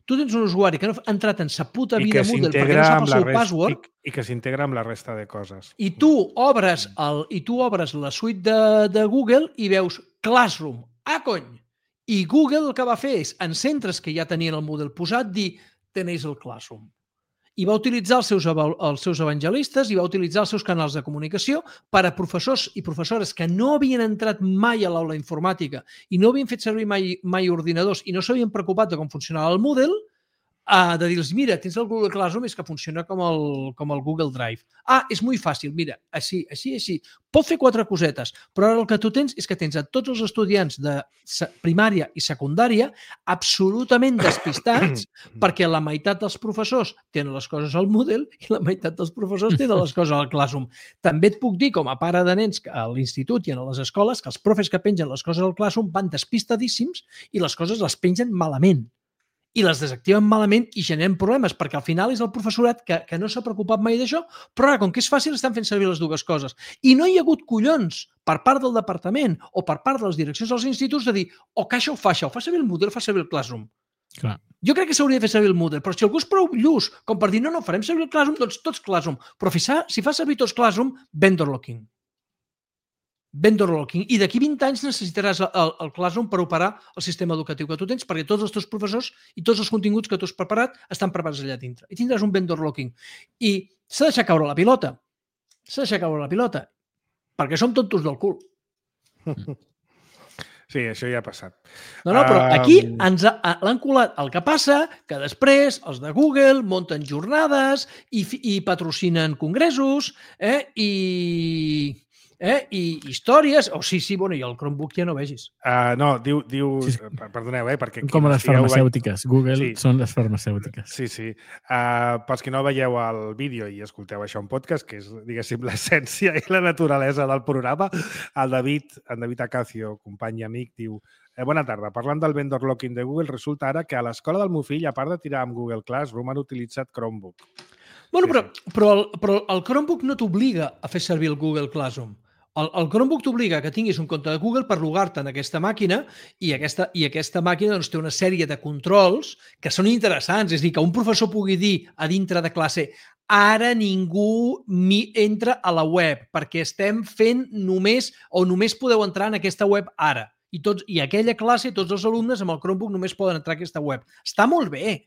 Speaker 3: Tu tens un usuari que no ha entrat en sa puta vida Moodle perquè no sap el seu password
Speaker 2: i, i que s'integra amb la resta de coses.
Speaker 3: I tu obres, el, i tu obres la suite de, de Google i veus Classroom. Ah, cony! I Google el que va fer és, en centres que ja tenien el Moodle posat, dir, tenéis el Classroom. I va utilitzar els seus, els seus evangelistes i va utilitzar els seus canals de comunicació per a professors i professores que no havien entrat mai a l'aula informàtica i no havien fet servir mai, mai ordinadors i no s'havien preocupat de com funcionava el Moodle, uh, de dir-los, mira, tens el Google Classroom, és que funciona com el, com el Google Drive. Ah, és molt fàcil, mira, així, així, així. Pot fer quatre cosetes, però ara el que tu tens és que tens a tots els estudiants de primària i secundària absolutament despistats perquè la meitat dels professors tenen les coses al Moodle i la meitat dels professors tenen les coses al Classroom. També et puc dir, com a pare de nens a l'institut i a les escoles, que els profes que pengen les coses al Classroom van despistadíssims i les coses les pengen malament. I les desactiven malament i generen problemes, perquè al final és el professorat que, que no s'ha preocupat mai d'això, però ara, com que és fàcil, estan fent servir les dues coses. I no hi ha hagut collons per part del departament o per part de les direccions dels instituts de dir, o que això ho fa això, ho fa servir el Moodle, fa servir el Classroom.
Speaker 4: Clar.
Speaker 3: Jo crec que s'hauria de fer servir el Moodle, però si algú és prou lluç com per dir, no, no, farem servir el Classroom, doncs tots Classroom. Però si fa servir tots Classroom, vendor locking. vendor locking. I d'aquí vint anys necessitaràs el, el Classroom per operar el sistema educatiu que tu tens, perquè tots els teus professors i tots els continguts que tu has preparat estan preparats allà dintre. I tindràs un vendor locking. I s'ha de deixar caure la pilota. S'ha de deixar caure la pilota. Perquè som tontos del cul.
Speaker 2: Sí, això ja ha passat.
Speaker 3: No, no, però aquí ens l'han colat. El que passa que després els de Google munten jornades i, i patrocinen congressos eh, i, eh, i històries. O oh, sí, sí, bueno, i el Chromebook ja no vegis.
Speaker 2: Uh, no, diu... diu
Speaker 4: sí, sí.
Speaker 2: Perdoneu, eh? Perquè
Speaker 4: com les farmacèutiques. Ve... Google
Speaker 2: sí.
Speaker 4: són les farmacèutiques.
Speaker 2: Sí, sí. Uh, pels que no veieu el vídeo i escolteu això en podcast, que és, diguéssim, l'essència i la naturalesa del programa, el David, en David Acacio, company i amic, diu eh, bona tarda, parlant del vendor locking de Google, resulta ara que a l'escola del meu fill, a part de tirar amb Google Classroom, han utilitzat Chromebook.
Speaker 3: Bueno,
Speaker 2: sí,
Speaker 3: però,
Speaker 2: sí.
Speaker 3: però, el, però el Chromebook no t'obliga a fer servir el Google Classroom. El, el Chromebook t'obliga que tinguis un compte de Google per logar-te en aquesta màquina i aquesta, i aquesta màquina doncs, té una sèrie de controls que són interessants. És a dir, que un professor pugui dir a dintre de classe ara ningú entra a la web perquè estem fent només o només podeu entrar en aquesta web ara. I, tots, i aquella classe, tots els alumnes amb el Chromebook només poden entrar a aquesta web. Està molt bé.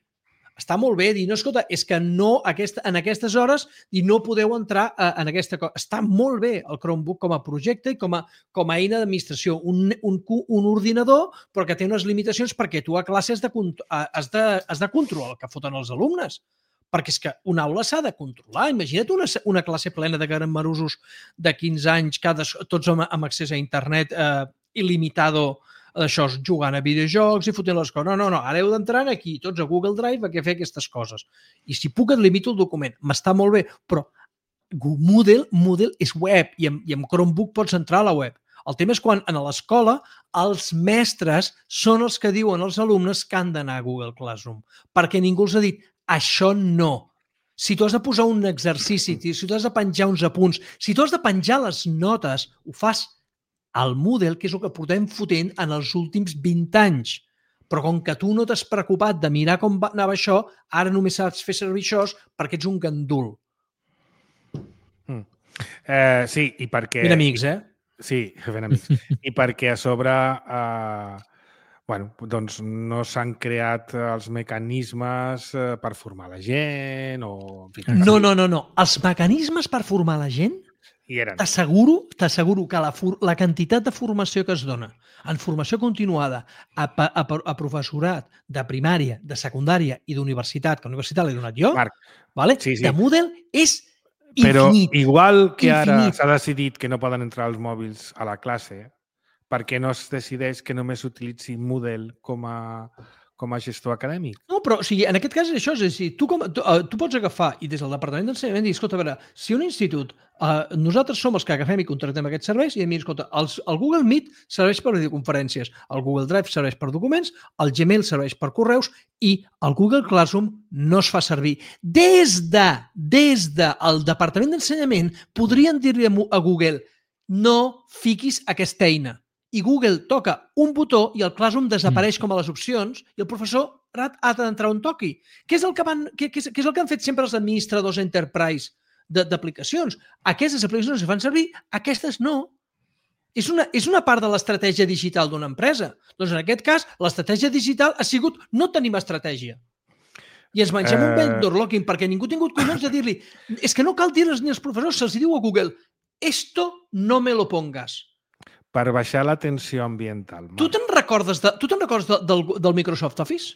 Speaker 3: Està molt bé dir, no, escolta, és que no aquesta, en aquestes hores i no podeu entrar a, en aquesta cosa. Està molt bé el Chromebook com a projecte i com a, com a eina d'administració. Un, un, un ordinador, però que té unes limitacions perquè tu a classe has de, has de, has de controlar el que foten els alumnes. Perquè és que una aula s'ha de controlar. Imagina't una, una classe plena de gramarosos de quinze anys, cada, tots amb, amb accés a internet eh, il·limitado, això, jugant a videojocs i fotent les coses. No, no, no, ara heu d'entrar aquí, tots a Google Drive, a fer aquestes coses. I si puc et limito el document. M'està molt bé, però Moodle, Moodle és web i amb, i amb Chromebook pots entrar a la web. El tema és quan a l'escola els mestres són els que diuen als alumnes que han d'anar a Google Classroom, perquè ningú els ha dit això no. Si tu has de posar un exercici, si tu has de penjar uns apunts, si tu has de penjar les notes, ho fas al Moodle, que és el que portem fotent en els últims vint anys. Però com que tu no t'has preocupat de mirar com anava això, ara només saps fer servir això perquè ets un gandul.
Speaker 2: Mm. Eh, sí, i perquè...
Speaker 3: Ben amics, eh?
Speaker 2: Sí, ben amics. I perquè a sobre eh, bueno, doncs no s'han creat els mecanismes eh, per formar la gent o...
Speaker 3: No, no, no, no. Els mecanismes per formar la gent T'asseguro, t'asseguro que la, la quantitat de formació que es dona en formació continuada a, a, a professorat de primària, de secundària i d'universitat, que a universitat l'he donat jo,
Speaker 2: Marc,
Speaker 3: vale?
Speaker 2: sí, sí.
Speaker 3: De Moodle és
Speaker 2: Però
Speaker 3: infinit.
Speaker 2: Però igual que
Speaker 3: infinit.
Speaker 2: Ara s'ha decidit que no poden entrar els mòbils a la classe, per què no es decideix que només s'utilitzi Moodle com a... com a gestor acadèmic.
Speaker 3: No, però o sigui, en aquest cas és això, és a dir, tu, com, tu, uh, tu pots agafar i des del Departament d'Ensenyament dir, escolta, a veure, si un institut, uh, nosaltres som els que agafem i contractem aquests serveis i a mi, escolta, els, el Google Meet serveix per videoconferències, el Google Drive serveix per documents, el Gmail serveix per correus i el Google Classroom no es fa servir. Des de, des del Departament d'Ensenyament podrien dir-li a Google no fiquis aquesta eina. I Google toca un botó i el Classroom desapareix com a les opcions i el professor ha d'entrar on toqui. Què és el que, van, què, què és, què és el que han fet sempre els administradors enterprise d'aplicacions? Aquestes aplicacions es fan servir, aquestes no. És una, és una part de l'estratègia digital d'una empresa. Doncs en aquest cas, l'estratègia digital ha sigut no tenim estratègia. I ens mengem uh... un vendor locking perquè ningú ha tingut collons de dir-li és que no cal dir-los ni als professors, se'ls diu a Google esto no me lo pongas.
Speaker 2: Per baixar la tensió ambiental.
Speaker 3: Tu te'n recordes, de, tu te'n recordes de, del, del Microsoft Office?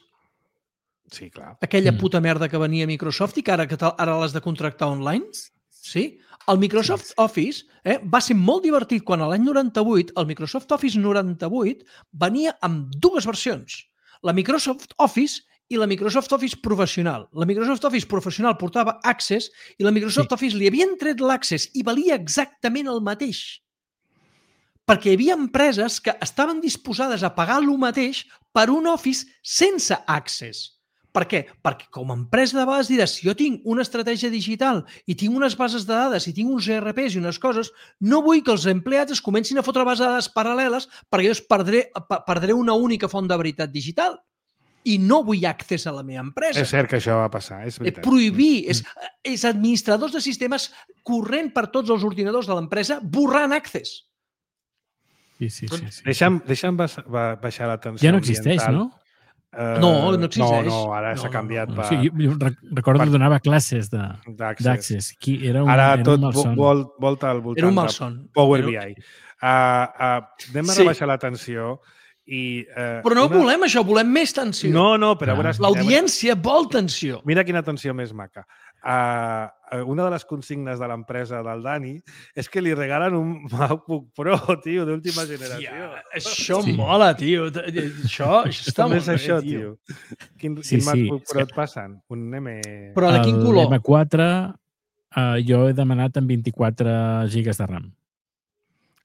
Speaker 2: Sí, clar.
Speaker 3: Aquella puta merda que venia a Microsoft i que ara, que ara l'has de contractar online? Sí. El Microsoft Office eh, va ser molt divertit quan a l'any noranta-vuit, el Microsoft Office noranta-vuit venia amb dues versions. La Microsoft Office i la Microsoft Office professional. La Microsoft Office professional portava Access i la Microsoft sí. Office li havien tret l'Access i valia exactament el mateix. Perquè hi havia empreses que estaven disposades a pagar el mateix per un Office sense Access. Per què? Perquè com a empresa de vegades diràs, si jo tinc una estratègia digital i tinc unes bases de dades i tinc uns E R Ps i unes coses, no vull que els empleats es comencin a fotre bases de dades paral·leles perquè jo perdré, perdré una única font de veritat digital. I no vull accés a la meva empresa.
Speaker 2: És cert que això va passar, és veritat.
Speaker 3: Prohibir, és, és administradors de sistemes corrent per tots els ordinadors de l'empresa borrant accés.
Speaker 4: Sí, sí, sí. sí.
Speaker 2: Deixa'm, deixa'm bas- ba- baixar la tensió
Speaker 4: Ja no existeix,
Speaker 2: ambiental.
Speaker 4: no?
Speaker 2: Eh,
Speaker 3: No, no existeix.
Speaker 2: No, no, ara
Speaker 3: No,
Speaker 2: s'ha
Speaker 3: no,
Speaker 2: canviat
Speaker 3: no.
Speaker 2: per
Speaker 4: Sí, jo, jo rec- recordo
Speaker 2: per-
Speaker 4: que donava classes de-
Speaker 2: d'Access.
Speaker 4: d'Access. Qui era un,
Speaker 2: Ara
Speaker 4: era
Speaker 2: tot
Speaker 4: un
Speaker 2: vo-
Speaker 4: malson.
Speaker 2: vol, volta al voltant
Speaker 3: Era un
Speaker 2: de
Speaker 3: malson.
Speaker 2: Power
Speaker 3: Era-
Speaker 2: B I. Uh, uh, anem a
Speaker 3: Sí.
Speaker 2: rebaixar la tensió i... Uh,
Speaker 3: Però no
Speaker 2: una...
Speaker 3: volem això, volem més tensió.
Speaker 2: No, no, però a
Speaker 4: Clar.
Speaker 2: veure...
Speaker 3: L'audiència vol tensió.
Speaker 2: Mira quina tensió més maca. Uh, una de les consignes de l'empresa del Dani és que li regalen un MacBook Pro, tio, d'última generació.
Speaker 3: Ja, això
Speaker 4: Sí.
Speaker 3: mola, tio. Això, això està
Speaker 2: També
Speaker 3: molt
Speaker 2: és
Speaker 3: bé,
Speaker 2: això,
Speaker 3: tio.
Speaker 2: tio. Quin,
Speaker 4: Sí,
Speaker 2: quin
Speaker 4: sí,
Speaker 2: MacBook
Speaker 4: és
Speaker 2: Pro
Speaker 4: que-
Speaker 2: et passen? Un M...
Speaker 3: Però de quin color?
Speaker 4: El M quatre uh, jo he demanat amb vint-i-quatre gigas de RAM.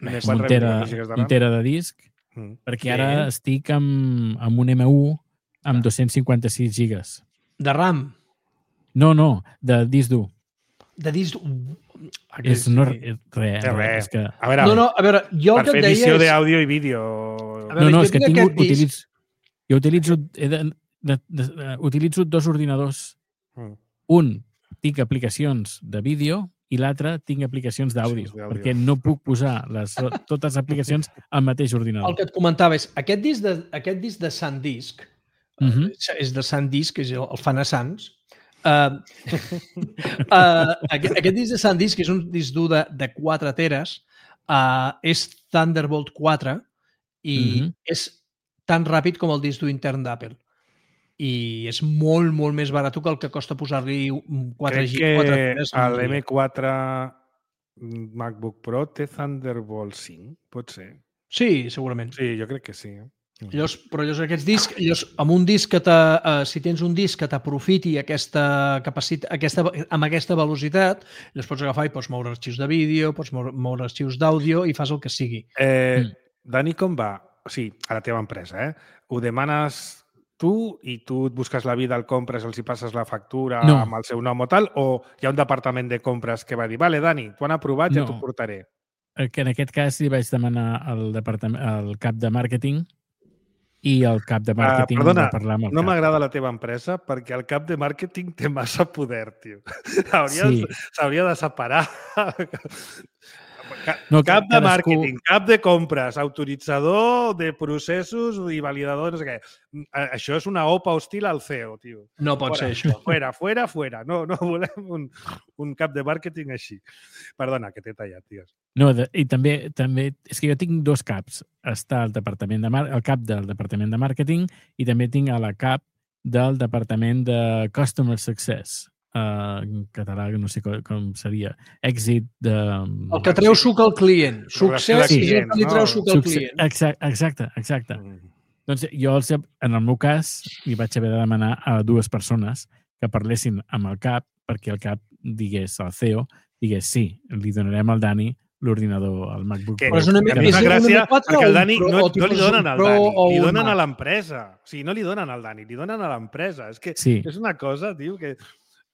Speaker 2: M
Speaker 4: Un
Speaker 2: quatre,
Speaker 4: tera,
Speaker 2: vint-i-quatre gigas de RAM?
Speaker 4: un tera de disc,
Speaker 2: Mm.
Speaker 4: perquè
Speaker 3: Bé.
Speaker 4: ara estic amb, amb un M u amb dos-cents cinquanta-sis gigas.
Speaker 3: De RAM.
Speaker 4: No, no, de disc dur.
Speaker 3: De disc...
Speaker 4: És no, és res,
Speaker 2: És res.
Speaker 4: és que...
Speaker 2: A veure,
Speaker 3: No, no, a veure, jo el
Speaker 2: per
Speaker 3: que
Speaker 2: fer
Speaker 3: et deia
Speaker 2: edició
Speaker 3: és...
Speaker 2: d'àudio i vídeo...
Speaker 3: A veure,
Speaker 4: No, no,
Speaker 3: jo
Speaker 4: és que
Speaker 3: tinc
Speaker 4: tinc,
Speaker 3: aquest disc-
Speaker 4: utilitzo, jo utilitzo, he de, de, de, de, utilitzo dos ordinadors.
Speaker 2: Mm.
Speaker 4: Un, tinc aplicacions de vídeo i l'altre tinc aplicacions d'àudio,
Speaker 2: Aplicacions d'àudio.
Speaker 4: perquè no puc posar les, totes les aplicacions al mateix
Speaker 3: El
Speaker 4: ordinador.
Speaker 3: que et comentava és, aquest disc de, aquest disc de SanDisk,
Speaker 4: Uh -huh.
Speaker 3: és de SanDisk, és el, el fan a Sants, uh, uh, aquest, aquest disc de SanDisk, que és un disc dur de, de quatre teres, uh, és Thunderbolt quatre i uh
Speaker 4: Mhm.
Speaker 3: -huh. és tan ràpid com el disc dur intern d'Apple. I és molt, molt més barat que el que costa posar-li quatre
Speaker 2: Crec
Speaker 3: gigas, quatre
Speaker 2: que
Speaker 3: teres. en un dia.
Speaker 2: l'M quatre MacBook Pro té Thunderbolt cinc, pot ser.
Speaker 3: Sí, segurament.
Speaker 2: Sí, jo crec que sí. Eh?
Speaker 3: Llavors, però llavors aquests discs, llavors, amb un disc que t'ha, uh, si tens un disc que t'aprofiti aquesta capacitat, aquesta, amb aquesta velocitat, llavors pots agafar i pots moure arxius de vídeo, pots moure, moure arxius d'àudio i fas el que sigui.
Speaker 2: Eh,
Speaker 4: Mm.
Speaker 2: Dani, com va? O sigui, a la teva empresa, eh? Ho demanes tu i tu et busques la vida, el compres, els hi passes la factura
Speaker 4: No.
Speaker 2: amb el seu nom o tal, o hi ha un departament de compres que va dir, vale, Dani, t'ho han aprovat, ja
Speaker 4: No.
Speaker 2: t'ho portaré.
Speaker 4: Que en aquest cas li vaig demanar al, departament, al cap de màrqueting i el cap de màrqueting
Speaker 2: Uh, perdona,
Speaker 4: va parlar amb el
Speaker 2: no
Speaker 4: cap.
Speaker 2: m'agrada la teva empresa perquè el cap de màrqueting té massa poder, tio. S'hauria
Speaker 4: Sí.
Speaker 2: s'hauria de separar. Ca-
Speaker 4: No,
Speaker 2: cap de
Speaker 4: cadascú-
Speaker 2: màrqueting, cap de compres, autoritzador de processos i validador, no sé què. A- Això és una opa hostil al C E O, tio.
Speaker 3: No pot
Speaker 2: Fora,
Speaker 3: ser això.
Speaker 2: Fuera, fuera, fuera. No, no volem un, un cap de màrqueting així. Perdona, que t'he tallat, tio.
Speaker 4: No, de, i també, també, és que jo tinc dos caps. Està el departament de mar, el cap del departament de màrqueting i també tinc a la cap del departament de Customer Success. Uh, en català no sé com, com seria. Èxit de...
Speaker 3: El que treu suc al client. Succés
Speaker 2: de
Speaker 3: és el que li
Speaker 2: clients,
Speaker 3: treu
Speaker 2: no?
Speaker 3: suc al
Speaker 4: Succe-
Speaker 3: client.
Speaker 4: Exacte, exacte, exacte.
Speaker 2: Mm.
Speaker 4: Doncs jo, els, en el meu cas, li vaig haver de demanar a dues persones que parlessin amb el cap perquè el cap digués al C E O, digués sí, li donarem al Dani l'ordinador, el MacBook
Speaker 2: Que,
Speaker 3: Però és una
Speaker 2: que
Speaker 3: mica-
Speaker 2: em
Speaker 3: és
Speaker 2: fa
Speaker 3: un
Speaker 2: gràcia
Speaker 3: M quatre
Speaker 2: perquè
Speaker 3: o
Speaker 2: el
Speaker 3: un
Speaker 2: Dani
Speaker 3: Pro,
Speaker 2: no,
Speaker 3: o
Speaker 2: no
Speaker 3: tipus
Speaker 2: li donen
Speaker 3: un
Speaker 2: al
Speaker 3: Pro
Speaker 2: Dani,
Speaker 3: o
Speaker 2: li
Speaker 3: un
Speaker 2: donen a
Speaker 3: Mac?
Speaker 2: l'empresa. O sigui, no li donen al Dani, li donen a l'empresa. És que
Speaker 4: Sí.
Speaker 2: és una cosa, tio, que...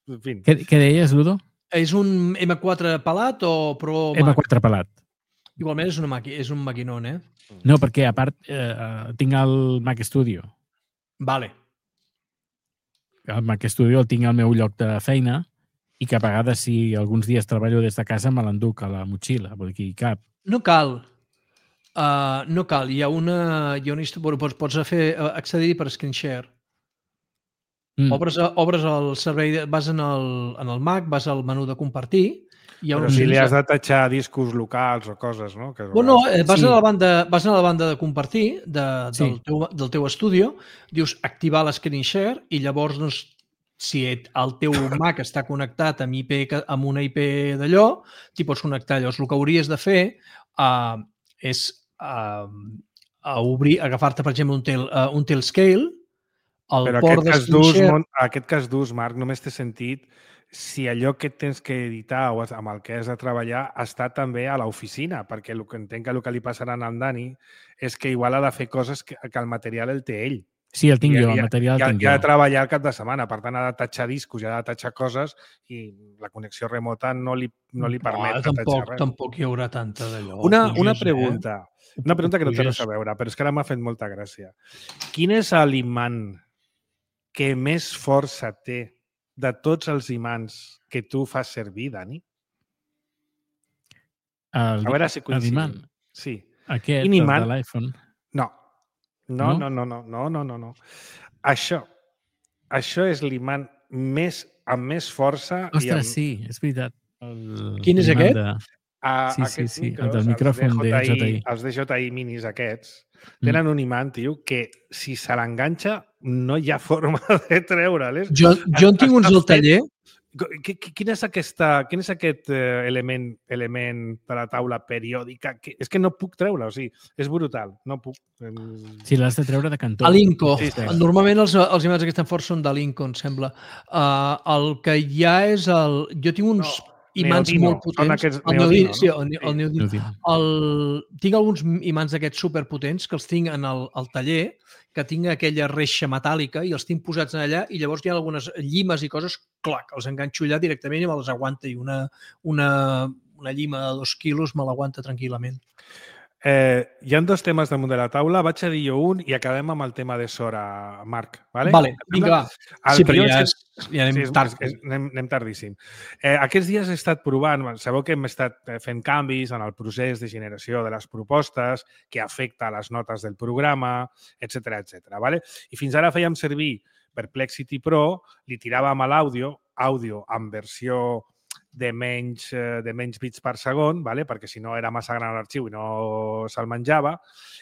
Speaker 2: En fi.
Speaker 4: Què, què deies, Ludo?
Speaker 3: És un M quatre pelat o Pro
Speaker 4: M
Speaker 3: Mac?
Speaker 4: quatre pelat.
Speaker 3: Igualment és, una maqui, és un maquinón, eh?
Speaker 4: No, perquè a part eh, tinc el Mac Studio.
Speaker 3: Vale.
Speaker 4: El Mac Studio el tinc al meu lloc de feina i que a vegades, si alguns dies treballo des de casa, me l'enduc a la motxilla, vull dir, cap.
Speaker 3: No cal. Uh, no cal. Hi ha una... Hi ha una història... Bueno, pots, pots fer, uh, accedir per screen share.
Speaker 4: Mm.
Speaker 3: Obres, obres el servei, de- vas en el, en el Mac, vas al menú de compartir. Hi ha
Speaker 2: Però
Speaker 3: un
Speaker 2: si li has de tatxar discos locals o coses, no? Que a
Speaker 3: Bueno,
Speaker 2: vegades-
Speaker 3: eh, vas,
Speaker 4: Sí.
Speaker 3: a la banda, vas a la banda de compartir de,
Speaker 4: Sí.
Speaker 3: del, teu, del teu estudio, dius activar l'escreen share i llavors doncs, si et- el teu Mac està connectat amb, I P, que- amb una I P d'allò, t'hi pots connectar. Llavors, el que hauries de fer uh, és uh, a obrir, agafar-te, per exemple, un, tel, uh, un Telescale, el
Speaker 2: Però
Speaker 3: port
Speaker 2: aquest cas
Speaker 3: d'screen
Speaker 2: d'ús,
Speaker 3: share...
Speaker 2: Mon- aquest cas d'ús, Marc, només té sentit si allò que tens que editar o amb el que has de treballar està també a l'oficina, perquè el que entenc que el que li passarà al Dani és que igual ha de fer coses que, que el material el té ell.
Speaker 4: Sí, el tinc
Speaker 2: I-
Speaker 4: jo,
Speaker 2: i-
Speaker 4: el material
Speaker 2: I, ha-
Speaker 4: el tinc
Speaker 2: i ha
Speaker 4: jo.
Speaker 2: de treballar el cap de setmana, per tant ha de tatxar discos, i ha de tatxar coses i la connexió remota no li, no li permet
Speaker 3: no,
Speaker 2: tatxar
Speaker 3: tampoc,
Speaker 2: res.
Speaker 3: tampoc hi haurà tanta d'allò.
Speaker 2: Una,
Speaker 3: Puges,
Speaker 2: una
Speaker 3: eh?
Speaker 2: pregunta, una pregunta que no té
Speaker 3: Puges.
Speaker 2: res a veure, però és que ara m'ha fet molta gràcia. Quin és l'imant que més força té de tots els imants que tu fas servir, Dani?
Speaker 4: El,
Speaker 2: A veure si
Speaker 4: el
Speaker 2: coincidim.
Speaker 4: imant.
Speaker 2: Sí.
Speaker 4: Aquest, el
Speaker 2: Inimant...
Speaker 4: de l'iPhone.
Speaker 2: No. No,
Speaker 4: No?
Speaker 2: no, no, no, no, no, no. Això, això és l'imant més, amb més força... i
Speaker 4: Ostres,
Speaker 2: amb...
Speaker 4: sí, és veritat. El...
Speaker 3: Quin és
Speaker 4: l'imant
Speaker 3: aquest?
Speaker 4: De...
Speaker 2: A,
Speaker 4: Sí, sí,
Speaker 2: aquests
Speaker 4: sí, el
Speaker 2: micros,
Speaker 4: del
Speaker 2: els
Speaker 4: micròfon de J I.
Speaker 2: Els de J I minis aquests, tenen un imant, tio, que si se l'enganxa no hi ha forma de treure-les.
Speaker 3: Jo, jo en tinc uns al taller.
Speaker 2: Quin és, aquesta, quin és aquest element, element de la taula periòdica? Que, és que no puc treure, o sigui, és brutal, no puc.
Speaker 4: Sí, l'has de treure de cantó.
Speaker 3: A l'Inco.
Speaker 2: Sí, sí.
Speaker 3: Normalment els, els imants que estan forts són de l'Inco, em sembla. Uh, el que hi ha és el... Jo tinc uns no, imants
Speaker 2: Neodino.
Speaker 3: molt potents.
Speaker 2: Són aquests
Speaker 3: el
Speaker 2: Neodino,
Speaker 3: Neodino,
Speaker 2: no?
Speaker 3: sí, el, el
Speaker 2: Sí.
Speaker 3: Neodino. El, tinc alguns imants d'aquests superpotents que els tinc en el, el taller, que tinc aquella reixa metàl·lica i els tinc posats en allà i llavors hi ha algunes llimes i coses, clac, els enganxo allà directament i me les aguanta i una, una, una llima de dos quilos me l'aguanta tranquil·lament.
Speaker 2: Eh, hi ha dos temes damunt de la taula, vaig a dir jo un i acabem amb el tema de Sora, Marc. Vale,
Speaker 3: vale vinga, va.
Speaker 2: El
Speaker 3: sí, però ja,
Speaker 2: és,
Speaker 3: és, ja anem
Speaker 2: sí, és,
Speaker 3: tard.
Speaker 2: És, és, anem, anem tardíssim. Eh, aquests dies he estat provant, sabeu que hem estat fent canvis en el procés de generació de les propostes que afecta les notes del programa, etcètera, etcètera. Vale? I fins ara fèiem servir Perplexity Pro, li tiràvem a l'àudio, àudio en versió de menys, de menys bits per segon, vale? Perquè si no era massa gran l'arxiu i no se'l menjava,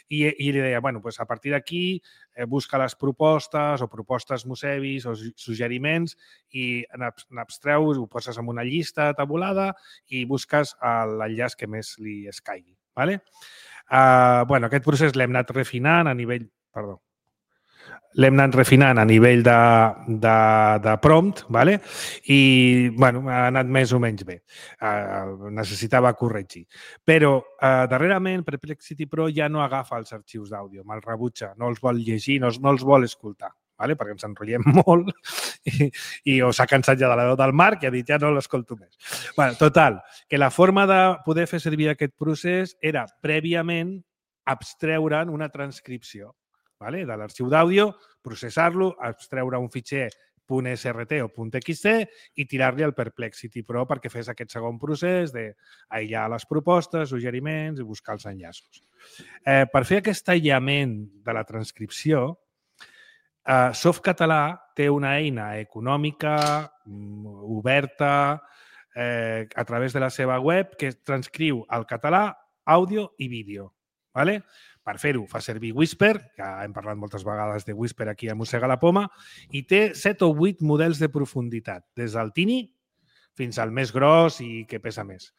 Speaker 2: i, i li deia, bueno, pues a partir d'aquí eh, busca les propostes o propostes musevis o suggeriments i n'abstreus, ho poses en una llista tabulada i busques l'enllaç que més li escaigui. Vale? Uh, bueno, aquest procés l'hem anat refinant a nivell... Perdó. L'hem anat refinant a nivell de, de, de prompt, ¿vale? I bueno, ha anat més o menys bé. Uh, necessitava corregir. Però uh, darrerament Perplexity Pro ja no agafa els arxius d'àudio, me'ls rebutja, no els vol llegir, no, no els vol escoltar, ¿vale? Perquè ens enrotllem molt i, i o s'ha cansat ja de la veu del Marc i ha dit ja no l'escolto més. Bueno, total, que la forma de poder fer servir aquest procés era prèviament abstreure'n una transcripció. Vale? De l'arxiu d'àudio, processar-lo, abstreure un fitxer .srt o .txt i tirar-li al Perplexity Pro perquè fes aquest segon procés d'aïllar les propostes, suggeriments i buscar els enllaços. Eh, per fer aquest aïllament de la transcripció, eh, Softcatalà té una eina econòmica, oberta, eh, a través de la seva web, que transcriu al català àudio i vídeo. Vale? Per fer-ho fa servir Whisper, que hem parlat moltes vegades de Whisper aquí a Mossega la Poma, i té set o vuit models de profunditat, des del tini fins al més gros i que pesa més.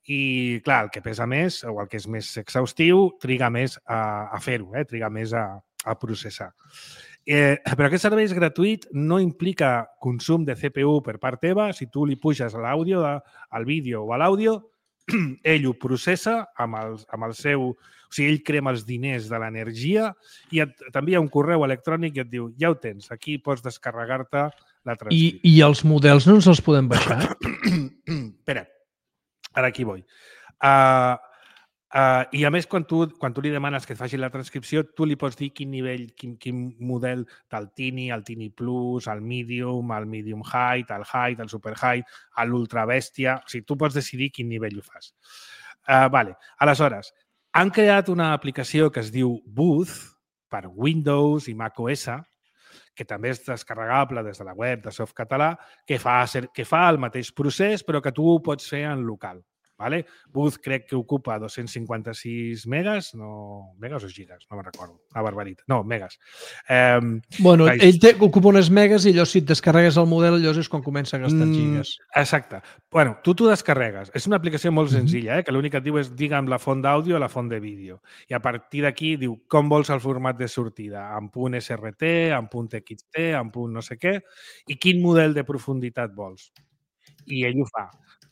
Speaker 2: I, clar, el que pesa més, o el que és més exhaustiu, triga més a, a fer-ho, eh? Triga més a, a processar. Eh, però aquest servei és gratuït, no implica consum de C P U per part teva. Si tu li puges l'àudio, al vídeo o a l'àudio, ell ho processa amb el, amb el seu... O sigui, ell crema els diners de l'energia i t'envia un correu electrònic i et diu, ja ho tens, aquí pots descarregar-te la transcripció.
Speaker 3: I, I els models no ens els podem baixar?
Speaker 2: Espera, ara aquí vull. Uh, uh, I a més, quan tu, quan tu li demanes que et faci la transcripció, tu li pots dir quin nivell, quin, quin model del Tini, el Tini Plus, el Medium, el Medium Height, el Height, el Super Height, l'Ultra Bèstia... O sigui, tu pots decidir quin nivell ho fas. Uh, vale. Aleshores, han creat una aplicació que es diu Booth per Windows i macOS, que també és descarregable des de la web de Softcatalà, que fa, que fa el mateix procés, però que tu ho pots fer en local. Vale? Booth crec que ocupa dos-cents cinquanta-sis megas, no, megas o gigas, no me'n recordo, una barbaritat. No, megas. Eh,
Speaker 3: bueno, ell té, ocupa unes megas i allò si et descarregues el model, allò és quan comença a gastar gigas.
Speaker 2: Mm, exacte. Bueno, tu t'ho descarregues. És una aplicació molt senzilla, eh? Que l'únic que et diu és digue'm la font d'àudio o la font de vídeo. I a partir d'aquí diu com vols el format de sortida, en .srt, en .txt, en punt no sé què, i quin model de profunditat vols. I ell ho fa.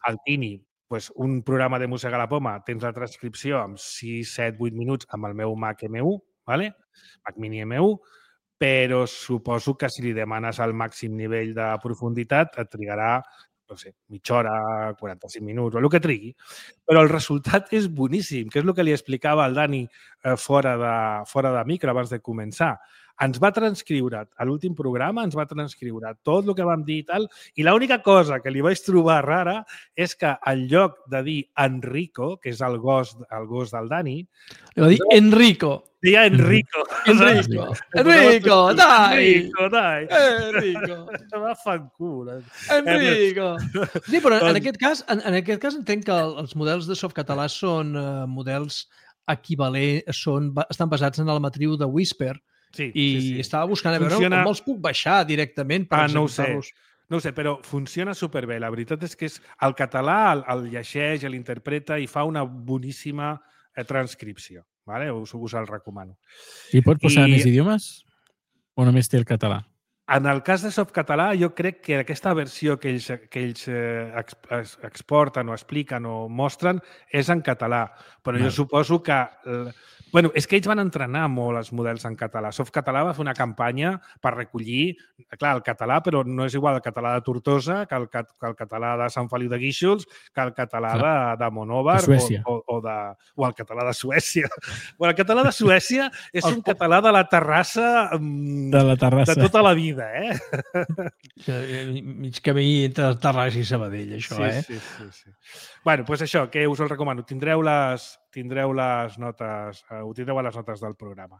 Speaker 2: El Tini, pues un programa de Mossega la Poma, tens la transcripció en sis, set, vuit minuts amb el meu Mac M u, ¿vale? Mac Mini M u, però suposo que si li demanes el màxim nivell de profunditat et trigarà, no sé, mitja hora, quaranta-cinc minuts, o el que trigui. Però el resultat és boníssim, que és el que li explicava al Dani eh, fora, de, fora de micro abans de començar. ens va transcriure, a l'últim programa ens va transcriure tot el que vam dir i tal, i l'única cosa que li vaig trobar rara és que en lloc de dir Enrico, que és el gos, el gos del Dani,
Speaker 3: li va dir Enrico.
Speaker 2: Deia Enrico.
Speaker 3: Enrico, Enrico, dai!
Speaker 2: Enrico, dai!
Speaker 3: Enrico!
Speaker 2: Va fan cul.
Speaker 3: Enrico! Sí, però en aquest cas, en, en aquest cas entenc que els models de softcatalà són uh, models equivalents, són, estan basats en la matriu de Whisper,
Speaker 2: sí,
Speaker 3: i
Speaker 2: sí, sí.
Speaker 3: estava buscant a veure
Speaker 2: Funciona...
Speaker 3: com els puc baixar directament per
Speaker 2: ah, no ho sé.
Speaker 3: executar-los.
Speaker 2: No ho sé, però funciona superbé. La veritat és que és, el català el, el llegeix, l'interpreta i fa una boníssima eh, transcripció. Vale? Us, us el recomano.
Speaker 4: I pot posar
Speaker 2: I...
Speaker 4: més idiomes? O només té el català?
Speaker 2: En el cas de Softcatalà, jo crec que aquesta versió que ells, que ells eh, ex, exporten o expliquen o mostren és en català. Però no. Jo suposo que... Bueno, és que ells van entrenar molt els models en català. Softcatalà va fer una campanya per recollir, clar, el català, però no és igual el català de Tortosa que el, que el català de Sant Feliu de Guíxols, que el català de, de Monòvar o, o, o, de, o el català de Suècia. Bueno, el català de Suècia és un català de la Terrassa,
Speaker 4: de la Terrassa
Speaker 2: de tota la vida, eh?
Speaker 3: Mig camí entre Terrassa i Sabadell, això,
Speaker 2: sí,
Speaker 3: eh?
Speaker 2: Sí, sí, sí. Bueno, doncs això, que us el recomano. Tindreu les, tindreu les notes, uh, ho tindreu a les notes del programa.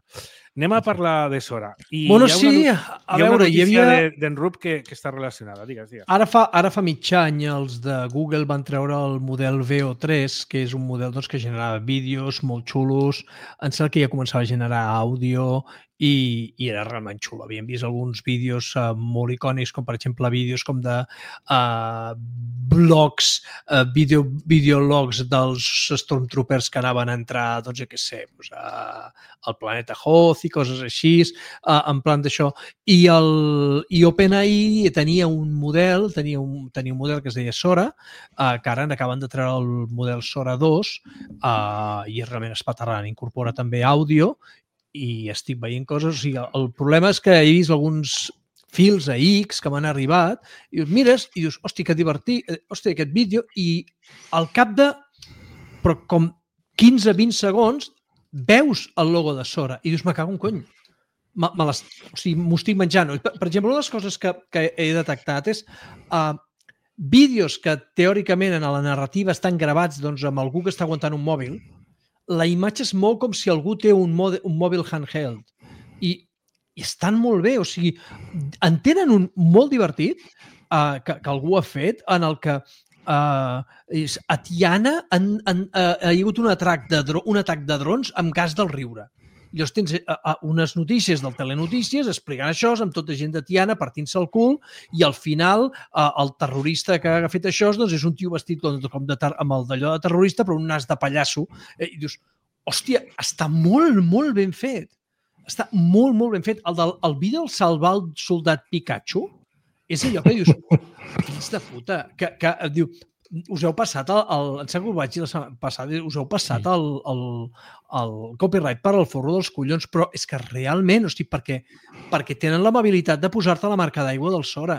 Speaker 2: Anem a parlar de Sora. I
Speaker 3: bueno,
Speaker 2: hi ha una,
Speaker 3: sí,
Speaker 2: a
Speaker 3: hi ha
Speaker 2: veure,
Speaker 3: hi havia...
Speaker 2: d'en Rup que, que està relacionada. Digues, digues.
Speaker 3: Ara fa, ara fa mig any els de Google van treure el model V O tres, que és un model doncs, que generava vídeos molt xulos. Em sembla que ja començava a generar àudio i, i era realment xulo. Havíem vist alguns vídeos uh, molt icònics, com per exemple vídeos com de uh, blogs, uh, video, videologs dels Stormtroopers que anaven a entrar, doncs, jo què sé, doncs, a, al planeta Hoth i coses així, uh, en plan d'això. I, el, i OpenAI tenia un model, tenia un, tenia un model que es deia Sora, uh, que ara acaben de treure el model Sora dos, uh, i realment espaterrant, incorpora també àudio, i estic veient coses. O sigui, el problema és que he vist alguns fils a X que m'han arribat i dius, mires i dius, hosti, que divertit, hosti, aquest vídeo, i al cap de però com quinze a vint segons veus el logo de Sora i dius, me cago en cony. Me, me les, o sigui, m'ho estic menjant. Per, per exemple, una de les coses que, que he detectat és uh, vídeos que teòricament en la narrativa estan gravats doncs, amb algú que està aguantant un mòbil. La imatge és molt com si algú té un, mòbil, un mòbil handheld i, i estan molt bé, o sigui, en tenen un molt divertit uh, que, que algú ha fet en el que uh, és, a Tiana han, han, uh, hi ha hagut un atac, de dro, un atac de drons amb gas del riure. I llavors tens uh, uh, unes notícies del Telenotícies explicant això, amb tota gent de Tiana partint-se el cul, i al final uh, el terrorista que ha fet això doncs, és un tio vestit com, com de ter amb el d'allò de terrorista, però un nas de pallasso. Eh, I dius, hòstia, està molt, molt ben fet. Està molt, molt ben fet. El, del, el vídeo del salvar el soldat Pikachu és allò que dius, fills de puta, que, que diu, us heu passat el, el em sembla que ho vaig dir la setmana passada, us heu passat el, el, el copyright per al forro dels collons, però és que realment, hosti, perquè, perquè tenen l'amabilitat de posar-te la marca d'aigua del Sora,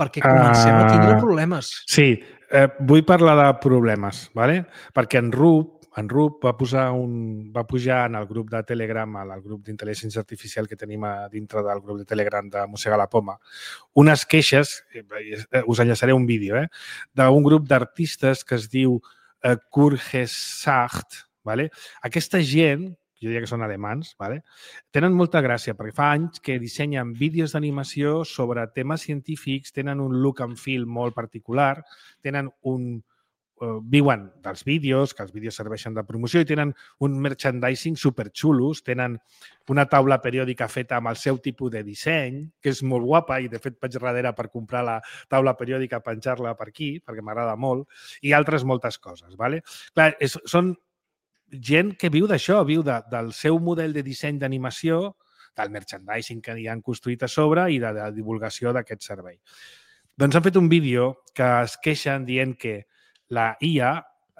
Speaker 3: perquè comencem a tindre problemes.
Speaker 2: Sí, eh, vull parlar de problemes, ¿vale? Perquè en Rup, en Rup va, posar un, va pujar en el grup de Telegram, al grup d'intel·ligència artificial que tenim a dintre del grup de Telegram de Mossega la Poma, unes queixes, us enllaçaré un vídeo, eh, d'un grup d'artistes que es diu eh, Kurgesacht, ¿vale? Aquesta gent, jo diria que són alemans, ¿vale? Tenen molta gràcia, perquè fa anys que dissenyen vídeos d'animació sobre temes científics, tenen un look and feel molt particular, tenen un viuen dels vídeos, que els vídeos serveixen de promoció, i tenen un merchandising superxulos, tenen una taula periòdica feta amb el seu tipus de disseny, que és molt guapa, i de fet vaig darrere per comprar la taula periòdica, penjar-la per aquí, perquè m'agrada molt, i altres moltes coses. ¿Vale? Clar, és, són gent que viu d'això, viu de, del seu model de disseny d'animació, del merchandising que hi han construït a sobre i de la divulgació d'aquest servei. Doncs han fet un vídeo que es queixen dient que la I A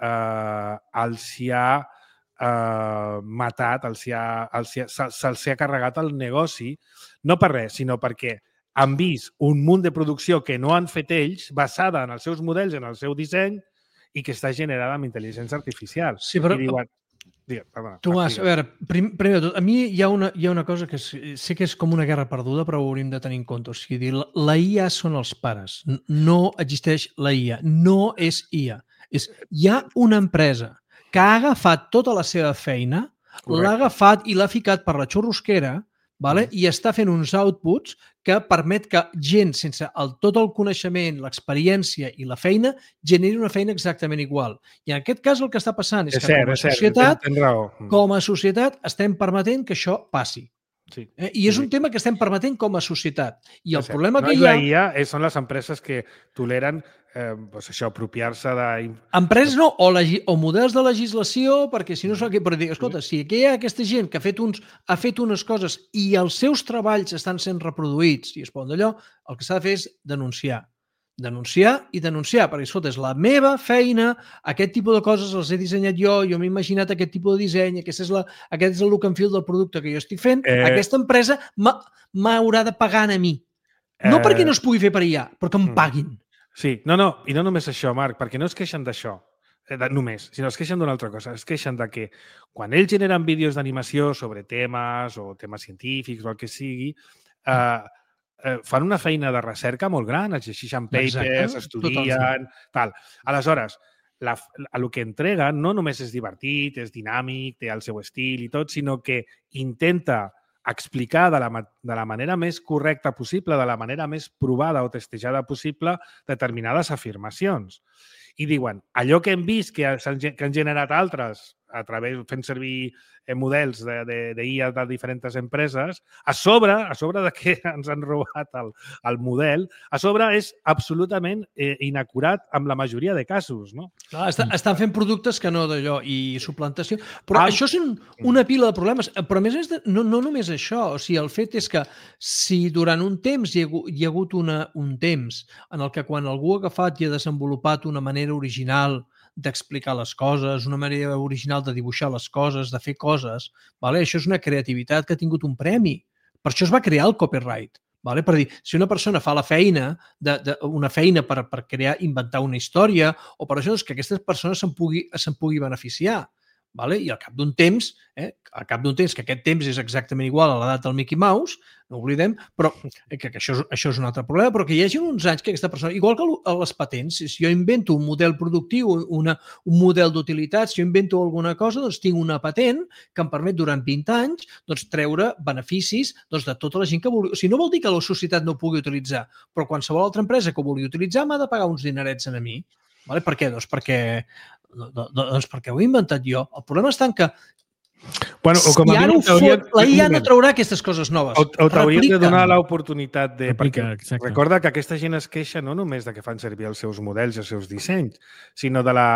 Speaker 2: eh, els hi ha eh, matat, els hi ha, els hi ha, se'ls se ha carregat el negoci, no per res, sinó perquè han vist un munt de producció que no han fet ells, basada en els seus models, en el seu disseny, i que està generada amb intel·ligència artificial.
Speaker 3: Sí, però,
Speaker 2: I diuen... Digue, perdona,
Speaker 3: Tomàs, a veure, prim, primer de tot, a mi hi ha una, hi ha una cosa que és, sé que és com una guerra perduda, però ho hauríem de tenir en compte. O sigui, dir, la, la I A són els pares. No existeix la I A. No és I A. És, hi ha una empresa que ha agafat tota la seva feina, l'ha agafat i l'ha ficat per la xurrosquera, vale? I està fent uns outputs que permet que gent sense el, tot el coneixement, l'experiència i la feina generi una feina exactament igual. I en aquest cas el que està passant és, és que cert, com a societat, com a societat estem permetent que això passi.
Speaker 2: Sí.
Speaker 3: Eh? I és un tema que estem permetent com a societat. I el
Speaker 2: és
Speaker 3: problema
Speaker 2: no
Speaker 3: que
Speaker 2: és
Speaker 3: hi ha...
Speaker 2: la I A, són les empreses que toleren eh, doncs això, apropiar-se de...
Speaker 3: Empreses no, o, legi... o models de legislació, perquè si no s'ha... Però dir, escolta, si aquí hi ha aquesta gent que ha fet, uns... ha fet unes coses i els seus treballs estan sent reproduïts i es poden d'allò, el que s'ha de fer és denunciar. Denunciar i denunciar, perquè, escolta, és la meva feina, aquest tipus de coses els he dissenyat jo, jo m'he imaginat aquest tipus de disseny, aquest és, la, aquest és el look and feel del producte que jo estic fent, eh... aquesta empresa m'haurà de pagar a mi. No eh... perquè no es pugui fer per I A, però que em paguin.
Speaker 2: Sí, no, no, i no només això, Marc, perquè no es queixen d'això, eh, només, sinó es queixen d'una altra cosa, es queixen de que quan ells generen vídeos d'animació sobre temes o temes científics o el que sigui, eh, eh, fan una feina de recerca molt gran, es llegeixen papers, exacte, estudien, tal. Aleshores, la, el que entreguen no només és divertit, és dinàmic, té el seu estil i tot, sinó que intenta explicar de la, de la manera més correcta possible, de la manera més provada o testejada possible, determinades afirmacions. I diuen, allò que hem vist que, que han generat altres a través, fent servir eh, models d'I A de, de diferents empreses, a sobre, a sobre de que ens han robat el, el model, a sobre és absolutament eh, inacurat amb la majoria de casos, no?
Speaker 3: Clar, està, estan fent productes que no d'allò i suplantació. Però ah, això és un, una pila de problemes. Però a més, és de, no, no només això. O sigui, el fet és que si durant un temps hi ha, hi ha hagut una, un temps en el que quan algú ha agafat i ha desenvolupat una manera original d'explicar les coses, una manera original de dibuixar les coses, de fer coses, vale? Això és una creativitat que ha tingut un premi. Per això es va crear el copyright. Vale? Per dir, si una persona fa la feina, de, de, una feina per, per crear, inventar una història, o per això és que aquestes persones se'n pugui, se'n pugui beneficiar. Vale? I al cap d'un temps, eh, al cap d'un temps, que aquest temps és exactament igual a l'edat del Mickey Mouse, no oblidem, però eh, que, que això, és, això és un altre problema, però que hi hagi uns anys que aquesta persona, igual que les patents, si jo invento un model productiu, una, un model d'utilitat, si jo invento alguna cosa, doncs tinc una patent que em permet durant vint anys doncs, treure beneficis doncs, de tota la gent que vulgui. O sigui, no vol dir que la societat no ho pugui utilitzar, però qualsevol altra empresa que ho vulgui utilitzar m'ha de pagar uns dinerets a mi. Vale? Per què? Doncs perquè Doncs perquè ho he inventat jo. El problema està en que
Speaker 2: bueno, o com a
Speaker 3: si ara ho fot, la I A no traurà aquestes coses noves.
Speaker 2: O, o t'hauries de donar l'oportunitat de...
Speaker 4: Replica,
Speaker 2: perquè
Speaker 4: exacte.
Speaker 2: Recorda que aquesta gent es queixa no només de que fan servir els seus models i els seus dissenys, sinó de la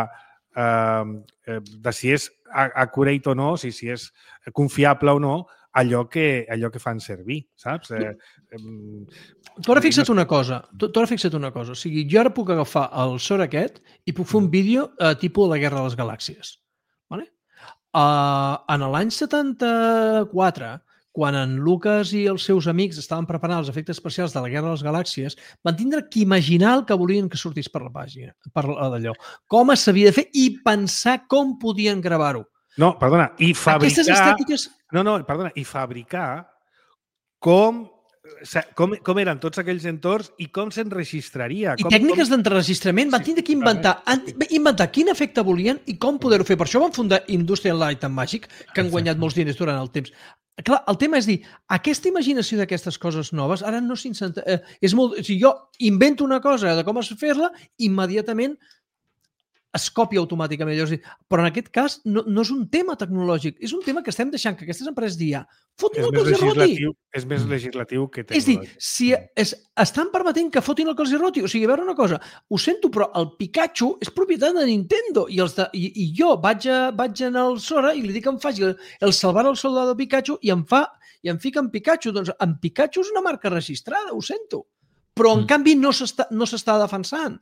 Speaker 2: eh, de si és accurate o no, si, si és confiable o no, allò que, allò que fan servir, saps? Eh, eh,
Speaker 3: tu ara fixa't una cosa, tu, tu ara fixa't una cosa, o sigui, jo ara puc agafar el sort aquest i puc fer un vídeo eh, tipus de la Guerra de les Galàxies. Vale? Uh, en l'any setanta-quatre, quan en Lucas i els seus amics estaven preparant els efectes especials de la Guerra de les Galàxies, van tindre que imaginar el que volien que sortís per la pàgina, per d'allò, com s'havia de fer i pensar com podien gravar-ho.
Speaker 2: No, perdona, i fabricar...
Speaker 3: Aquestes estètiques...
Speaker 2: No, no, perdona, i fabricar com, com, com eren tots aquells entorns i com s'enregistraria.
Speaker 3: I
Speaker 2: com,
Speaker 3: tècniques
Speaker 2: com...
Speaker 3: d'enregistrament van tindre que inventar, inventar quin efecte volien i com poder-ho fer. Per això van fundar Industrial Light and Magic, que han guanyat molts diners durant el temps. Clar, el tema és dir, aquesta imaginació d'aquestes coses noves, ara no s'incenta... Eh, és molt... O sigui, jo invento una cosa de com es fer-la, immediatament es copia automàticament. Llavors, però en aquest cas no, no és un tema tecnològic, és un tema que estem deixant que aquestes empreses d'I A fotin el que els roti.
Speaker 2: És més legislatiu que tecnològic.
Speaker 3: És dir, si es, estan permetent que fotin el que els roti, o sigui, a veure una cosa, ho sento, però el Pikachu és propietat de Nintendo i, els de, i, i jo vaig, a, vaig anar al Sora i li dic que em faci el, el salvar el soldado Pikachu i em fa i em fica en Pikachu. Doncs en Pikachu és una marca registrada, ho sento. Però en mm. canvi no s'està no s'està defensant.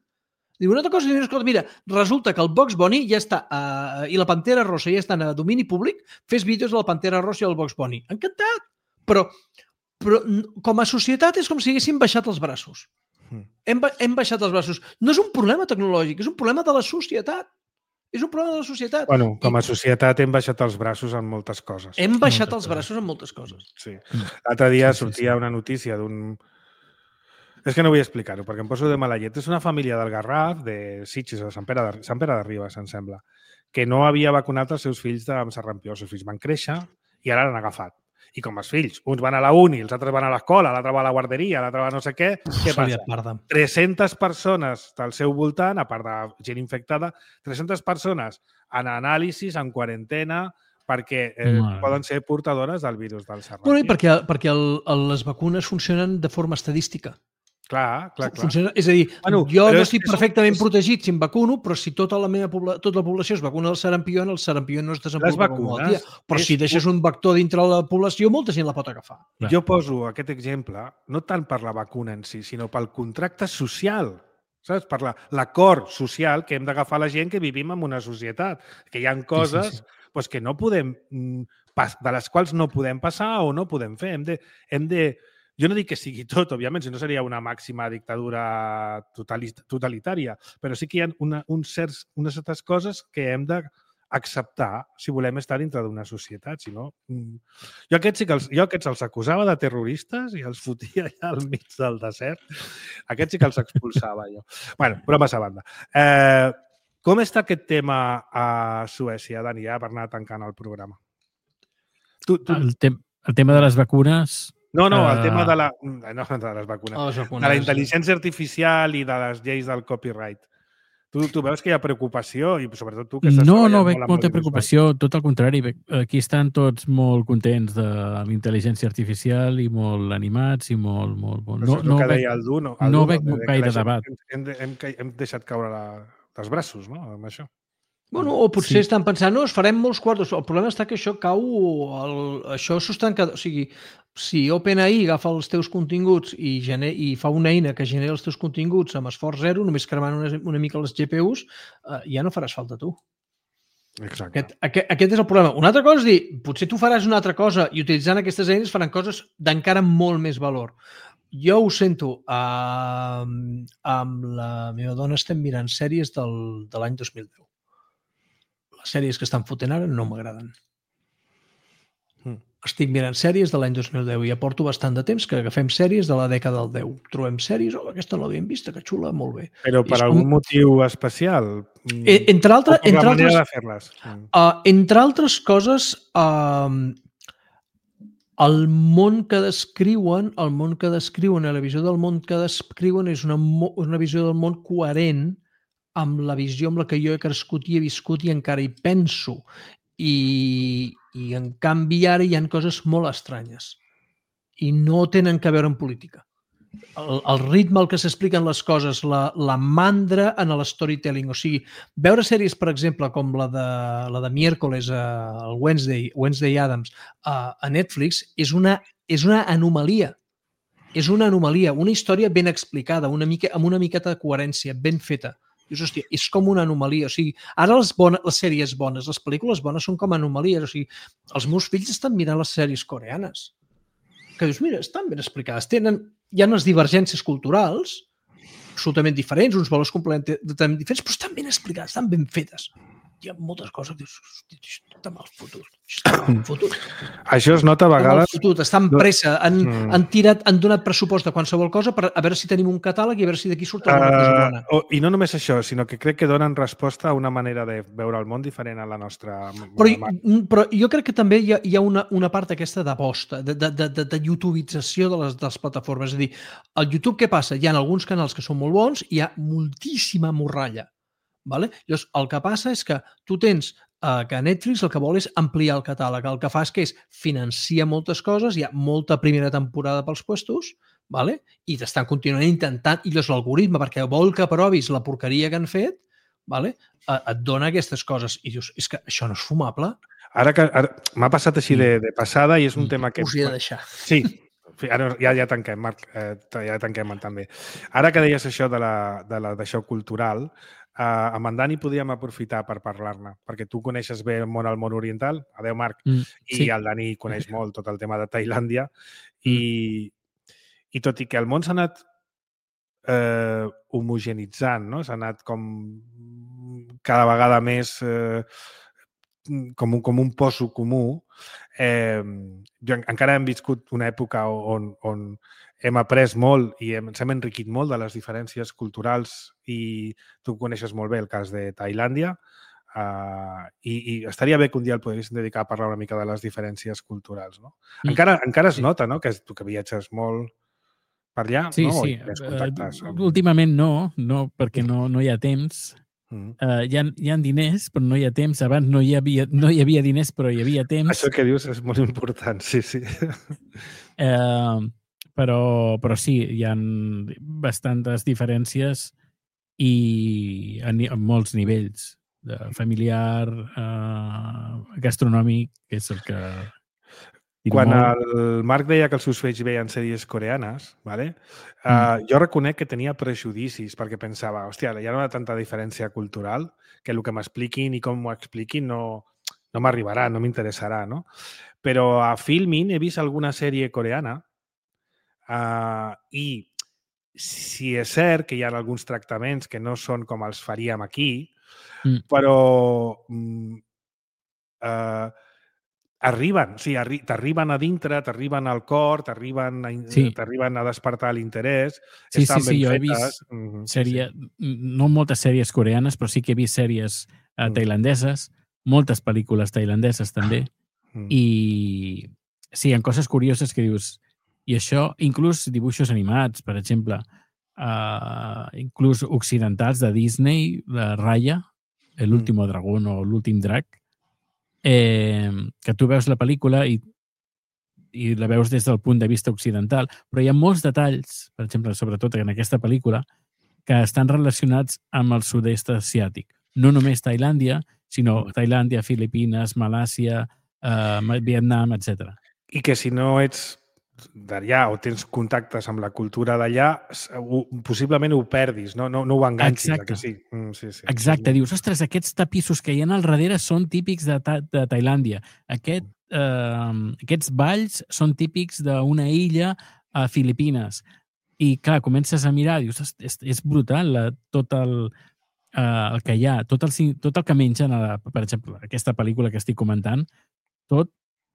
Speaker 3: Diu, una altra cosa, escolta, mira, resulta que el Bugs Bunny ja està, uh, i la Pantera Rosa ja estan a domini públic, fes vídeos de la Pantera Rosa i el Bugs Bunny. Encantat! Però, però com a societat és com si haguéssim baixat els braços. Mm. Hem, hem baixat els braços. No és un problema tecnològic, és un problema de la societat. És un problema de la societat.
Speaker 2: Bueno, com a
Speaker 3: I
Speaker 2: societat hem baixat els braços en moltes coses.
Speaker 3: hem baixat
Speaker 4: moltes
Speaker 3: els braços en moltes coses.
Speaker 2: Sí. L'altre dia
Speaker 4: Sí, sí,
Speaker 2: sortia
Speaker 4: sí.
Speaker 2: una notícia d'un... És que no vull explicar-ho, perquè em poso de mala llet. És una família del Garraf, de Sitges, de Sant Pere de, Sant Pere de Ribes, em sembla, que no havia vacunat els seus fills amb sarampió. Els seus fills van créixer i ara l'han agafat. I com els fills, uns van a la uni, els altres van a l'escola, l'altre va a la guarderia, l'altre va a no sé què, què passa? tres-centes persones del seu voltant, a part de gent infectada, tres-centes persones en anàlisis, en quarantena, perquè eh,
Speaker 4: Mare.
Speaker 2: poden ser portadores del virus del sarampió.
Speaker 3: Bueno, i perquè, perquè el, el, les vacunes funcionen de forma estadística.
Speaker 2: Clar, clar, clar.
Speaker 3: Funciona, és a dir,
Speaker 2: Bueno,
Speaker 3: jo
Speaker 2: però
Speaker 3: no
Speaker 2: és
Speaker 3: estic
Speaker 2: que és-
Speaker 3: perfectament
Speaker 2: és-
Speaker 3: protegit si em vacuno, però si tota la meva pobla, tota la població es vacuna del sarampió, el sarampió no es desenvolupa com a
Speaker 2: vacunes
Speaker 3: malaltia. Però
Speaker 2: és
Speaker 3: si deixes un vector dintre de la població, molta gent la pot agafar.
Speaker 4: Clar.
Speaker 2: Jo poso aquest exemple no tant per la vacuna en si, sinó pel contracte social, saps? Per la- l'acord social que hem d'agafar la gent que vivim en una societat, que hi ha coses
Speaker 4: sí, sí.
Speaker 2: Pues, que no podem, mm, pas- de les quals no podem passar o no podem fer. Hem de, hem de, jo no dic que sigui tot, òbviament, si no seria una màxima dictadura totalit- totalitària, però sí que hi ha una, un certs, unes certes coses que hem d'acceptar si volem estar dintre d'una societat. Si no, mm, jo aquests, sí que els, jo aquests els acusava de terroristes i els fotia allà al mig del desert. Aquests sí que els expulsava jo. Bueno, bromes a banda. Eh, com està aquest tema a Suècia, Dani, ja per anar tancant el programa? Tu, tu...
Speaker 4: El, te el tema de les vacunes...
Speaker 2: No, no, el
Speaker 4: eh,
Speaker 2: tema de la... No, de les vacunes.
Speaker 3: A les
Speaker 2: De
Speaker 3: vacunes.
Speaker 2: la intel·ligència artificial i de les lleis del copyright. Tu, tu veus que hi ha preocupació i sobretot tu que estàs
Speaker 4: No,
Speaker 2: treballant
Speaker 4: no veig
Speaker 2: molt amb
Speaker 4: molta
Speaker 2: l'audiovisual.
Speaker 4: preocupació, tot el contrari. veig- Aquí estan tots molt contents de la intel·ligència artificial i molt animats i molt... molt, molt.
Speaker 2: Però això
Speaker 4: No,
Speaker 2: és el
Speaker 4: no
Speaker 2: que
Speaker 4: veig,
Speaker 2: deia el Duno. El
Speaker 4: no
Speaker 2: Duno,
Speaker 4: veig
Speaker 2: de que
Speaker 4: gaire
Speaker 2: la gent-
Speaker 4: debat.
Speaker 2: Hem, de- hem, ca- hem deixat caure la, els braços, no?, amb això.
Speaker 3: Bueno, o potser
Speaker 4: Sí.
Speaker 3: estan pensant, no, es farem molts quartos. El problema està que això cau... El, això s'ho estan... qued- O sigui, si OpenAI agafa els teus continguts i, gener, i fa una eina que genera els teus continguts amb esforç zero, només cremant una, una mica les G P Us, eh, ja no faràs falta tu.
Speaker 2: Exacte.
Speaker 3: Aquest, aquest, aquest és el problema. Una altra cosa és dir, potser tu faràs una altra cosa i utilitzant aquestes eines faran coses d'encara molt més valor. Jo ho sento, uh, amb la meva dona estem mirant sèries del, de l'any dos mil deu. Les sèries que estan fotent ara no m'agraden.
Speaker 2: Mm.
Speaker 3: Estic mirant sèries de l'any dos mil deu i ja porto bastant de temps que agafem sèries de la dècada del deu. Trobem sèries, oh, aquesta no l'havíem vista, que xula, molt bé.
Speaker 2: Però per
Speaker 3: És
Speaker 2: algun
Speaker 3: com-
Speaker 2: motiu especial? Mm,
Speaker 3: Eh, entre
Speaker 2: o
Speaker 3: altres,
Speaker 2: per la
Speaker 3: entre
Speaker 2: manera
Speaker 3: altres,
Speaker 2: de fer-les? Mm.
Speaker 3: Uh, entre altres coses, uh, el món que descriuen, el món que descriuen, la visió del món que descriuen és una, mo- una visió del món coherent amb la visió amb la que jo he crescut i he viscut i encara hi penso. I, i en canvi ara hi ha coses molt estranyes i no tenen que veure amb política. El, el ritme al que s'expliquen les coses, la, la mandra en l'storytelling, o sigui, veure sèries, per exemple, com la de, la de miércoles, eh, el Wednesday, Wednesday Addams, a, a Netflix, és una, és una anomalia. És una anomalia, una història ben explicada, una mica, amb una miqueta de coherència, ben feta. Dius, hòstia, és com una anomalia. O sigui, ara les, bones, les sèries bones, les pel·lícules bones són com anomalies. O sigui, els meus fills estan mirant les sèries coreanes. Que dius, mira, estan ben explicades. Tenen, hi ha unes divergències culturals absolutament diferents, uns valors completament diferents, però estan ben explicades, estan ben fetes. Hi ha moltes coses que dius, hòstia, això està mal fotut. Això està mal fotut.
Speaker 2: Això es nota a
Speaker 3: Està mal
Speaker 2: vegades...
Speaker 3: fotut, està en pressa. Han,
Speaker 2: Mm.
Speaker 3: han, tirat, han donat pressupost de qualsevol cosa per a veure si tenim un catàleg i a veure si d'aquí surt alguna cosa bona.
Speaker 2: Uh, I no només això, sinó que crec que donen resposta a una manera de veure el món diferent a la nostra...
Speaker 3: Però, però jo crec que també hi ha, hi ha una, una part aquesta d'aposta, de, de, de, de, de youtubització de les, de les plataformes. És a dir, al YouTube què passa? Hi ha alguns canals que són molt bons i hi ha moltíssima morralla. Vale? Llavors, el que passa és que tu tens eh, que Netflix el que vol és ampliar el catàleg. El que fa és que és financia moltes coses, hi ha molta primera temporada pels puestos, vale? I t'estan continuant intentant, i llavors l'algoritme, perquè vol que provis la porqueria que han fet, vale? eh, et dona aquestes coses. I dius, és que això no és fumable.
Speaker 2: Ara que ara, m'ha passat així de, de passada i és un tema que...
Speaker 3: Us hi he de deixar.
Speaker 2: Sí, ara ja, ja tanquem, Marc, eh, ja tanquem també. Ara que deies això de la, de la, d'això cultural, eh, amb en Dani podríem aprofitar per parlar-ne, perquè tu coneixes bé el món al món oriental, adeu Marc,
Speaker 4: Mm,
Speaker 2: i
Speaker 4: sí.
Speaker 2: el Dani coneix molt tot el tema de Tailàndia, i, i tot i que el món s'ha anat eh, homogenitzant, no? S'ha anat com cada vegada més eh, com, un, com un poso comú. Eh, jo, encara hem viscut una època on, on hem après molt i hem, ens hem enriquit molt de les diferències culturals i tu coneixes molt bé el cas de Tailàndia uh, i, i estaria bé que un dia el poguéssim dedicar a parlar una mica de les diferències culturals. No? Mm. Encara, encara es nota, no?, que tu que viatges molt per allà,
Speaker 4: sí,
Speaker 2: no?
Speaker 4: Sí,
Speaker 2: sí.
Speaker 4: Uh, últimament no, no perquè no, no hi ha temps. Mm. Uh, hi, ha, hi ha diners, però no hi ha temps. Abans no hi havia, no hi havia diners, però hi havia temps.
Speaker 2: Això que dius és molt important, sí, sí.
Speaker 4: Uh, però, però sí, hi ha bastantes diferències i a, a molts nivells, de familiar, uh, gastronòmic, que és el que...
Speaker 2: Quan el Marc deia que els seus fills veien sèries coreanes, vale? uh, mm. jo reconec que tenia prejudicis perquè pensava, hòstia, hi ha una tanta diferència cultural que el que m'expliquin i com m'ho expliquin no, no m'arribarà, no m'interessarà, no? Però a Filmin he vist alguna sèrie coreana uh, i si és cert que hi ha alguns tractaments que no són com els faríem aquí, mm. però... Mm, uh, arriben, o sigui, arri t'arriben a dintre, t'arriben al cor, t'arriben a, sí. a despertar l'interès,
Speaker 4: sí,
Speaker 2: estan
Speaker 4: sí,
Speaker 2: ben
Speaker 4: sí, jo
Speaker 2: fetes.
Speaker 4: He vist
Speaker 2: mm,
Speaker 4: sèrie,
Speaker 2: sí,
Speaker 4: sí. No moltes sèries coreanes, però sí que he vist sèries uh, tailandeses, moltes pel·lícules tailandeses també, mm. i sí, hi ha coses curioses que dius, i això, inclús dibuixos animats, per exemple, uh, inclús occidentals de Disney, de Raya, l'último mm. dragón o l'últim drac, Eh, que tu veus la pel·lícula i, i la veus des del punt de vista occidental, però hi ha molts detalls, per exemple, sobretot en aquesta pel·lícula, que estan relacionats amb el sud-est asiàtic. No només Tailàndia, sinó Tailàndia, Filipines, Malàsia, eh, Vietnam, etcètera.
Speaker 2: I que si no ets d'allà o tens contactes amb la cultura d'allà, possiblement ho perdis, no, no, no ho enganxis.
Speaker 4: Exacte.
Speaker 2: Que sí. Mm, sí, sí.
Speaker 4: Exacte. Dius, ostres, aquests tapissos que hi ha al darrere són típics de, ta de Tailàndia. Aquest, eh, aquests balls són típics d'una illa a Filipines. I, clar, comences a mirar, dius, és, és brutal la, tot el, eh, el que hi ha, tot el, tot el que mengen, a la, per exemple, aquesta pel·lícula que estic comentant, tot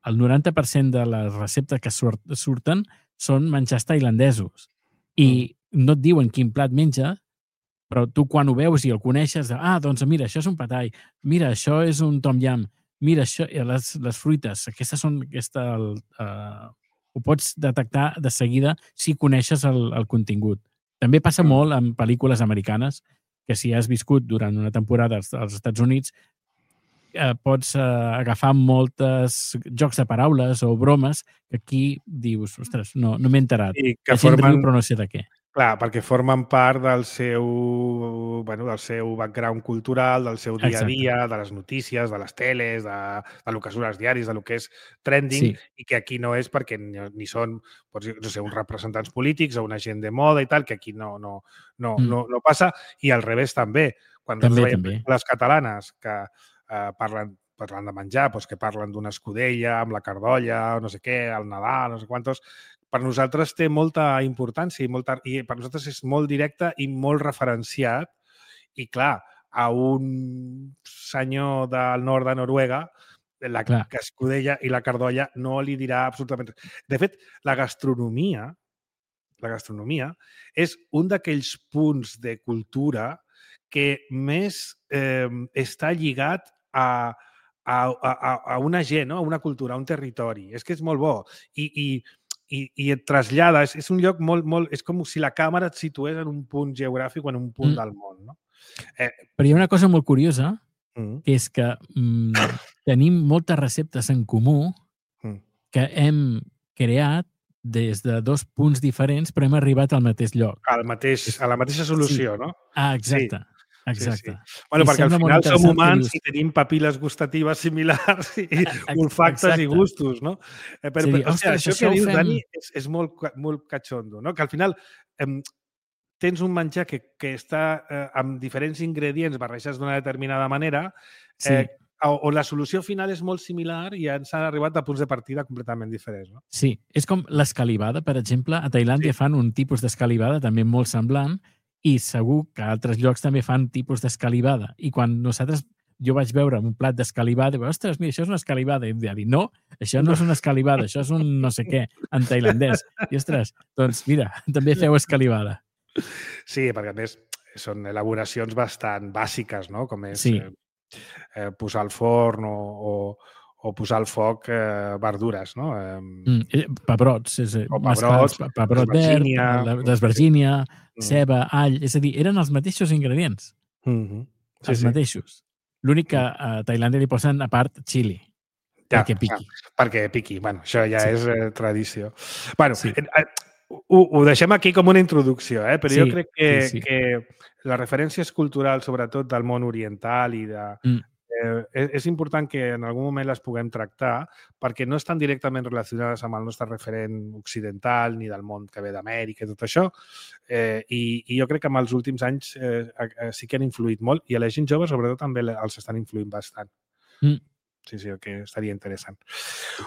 Speaker 4: el noranta per cent de les receptes que surt, surten són menjars tailandesos. I mm. no et diuen quin plat menja, però tu quan ho veus i el coneixes, ah, doncs mira, això és un patai, mira, això és un tom yam, mira, això, les, les fruites, aquestes són... Aquesta, el, uh, ho pots detectar de seguida si coneixes el, el contingut. També passa mm. molt en pel·lícules americanes, que si has viscut durant una temporada als, als Estats Units, Eh, pots eh, agafar moltes jocs de paraules o bromes que aquí dius, ostres, no, no m'he enterat.
Speaker 2: I que
Speaker 4: la gent
Speaker 2: formen...
Speaker 4: riu, però no sé de què.
Speaker 2: Clar, perquè formen part del seu, bueno, del seu background cultural, del seu dia a dia, Exacte. De les notícies, de les teles, de, de lo que surt als diaris, de lo que és trending, sí. I que aquí no és perquè ni, ni són, pots, no sé, uns representants polítics o una gent de moda i tal, que aquí no, no, no, mm. no, no passa, i al revés també. Quan
Speaker 4: també,
Speaker 2: veiem
Speaker 4: també.
Speaker 2: Les catalanes que Uh, parlen, parlant de menjar, doncs que parlen d'una escudella amb la cardolla, no sé què, el Nadal, no sé quantos. Per nosaltres té molta importància i, molta, i per nosaltres és molt directe i molt referenciat. I clar, a un senyor del nord de Noruega, la clar. Escudella i la cardolla no li dirà absolutament res. De fet, la gastronomia, la gastronomia és un d'aquells punts de cultura que més eh, està lligat A, a, a, a una gent, no? A una cultura, a un territori. És que és molt bo. I, i, i, i et trasllada. És, és un lloc molt, molt... És com si la càmera et situés en un punt geogràfic o en un punt mm. del món. No?
Speaker 4: Eh, Però hi ha una cosa molt curiosa, mm. que és que mm, tenim moltes receptes en comú mm. que hem creat des de dos punts diferents, però hem arribat al mateix lloc.
Speaker 2: Al mateix, a la mateixa solució,
Speaker 4: sí.
Speaker 2: no?
Speaker 4: Ah, exacte. Sí.
Speaker 2: Sí,
Speaker 4: Exacte.
Speaker 2: sí. Bueno, I perquè al final som humans dius... i tenim papil·les gustatives similars i olfactes Exacte. I gustos, no? Eh, però, sí, però, ostres, això que dius, fem... Dani, és, és molt, molt catxondo, no? Que al final eh, tens un menjar que, que està eh, amb diferents ingredients barrejats d'una determinada manera eh, sí. on la solució final és molt similar i ens han arribat a punts de partida completament diferents, no?
Speaker 4: Sí, és com l'escalivada, per exemple. A Tailàndia sí. fan un tipus d'escalivada també molt semblant I segur que altres llocs també fan tipus d'escalivada. I quan nosaltres, jo vaig veure un plat d'escalivada, i vaig, ostres, mira, això és una escalivada. I em deia, no, això no és una escalivada, això és un no sé què, en tailandès. I, ostres, doncs mira, també feu escalivada.
Speaker 2: Sí, perquè a més són elaboracions bastant bàsiques, no? Com és
Speaker 4: Sí.
Speaker 2: eh, eh, posar al forn o, o, o posar al foc eh, verdures, no? Eh,
Speaker 4: Mm, eh, pebrots, és, eh,
Speaker 2: O
Speaker 4: mascals,
Speaker 2: pebrots,
Speaker 4: pe- pebrot verd,
Speaker 2: d'esvergínia.
Speaker 4: la- d'esvergínia,
Speaker 2: Mm.
Speaker 4: ceba, all, és a dir, eren els mateixos ingredients,
Speaker 2: Mhm. Sí,
Speaker 4: els
Speaker 2: sí.
Speaker 4: mateixos. L'únic que a Tailàndia li posen a part xili,
Speaker 2: Ja,
Speaker 4: perquè piqui.
Speaker 2: ja, perquè piqui. Bueno, això ja
Speaker 4: Sí.
Speaker 2: és eh, tradició. Bueno,
Speaker 4: Sí.
Speaker 2: eh, eh, ho, ho deixem aquí com una introducció, eh? però
Speaker 4: Sí,
Speaker 2: jo crec que,
Speaker 4: sí, sí.
Speaker 2: que les referències culturals, sobretot del món oriental i de,
Speaker 4: Mm.
Speaker 2: eh, és, és important que en algun moment les puguem tractar perquè no estan directament relacionades amb el nostre referent occidental ni del món que ve d'Amèrica i tot això. Eh, i, I jo crec que en els últims anys eh, eh, sí que han influït molt i a la gent jove sobretot també els estan influint bastant.
Speaker 4: Mm.
Speaker 2: Sí, sí, que estaria interessant.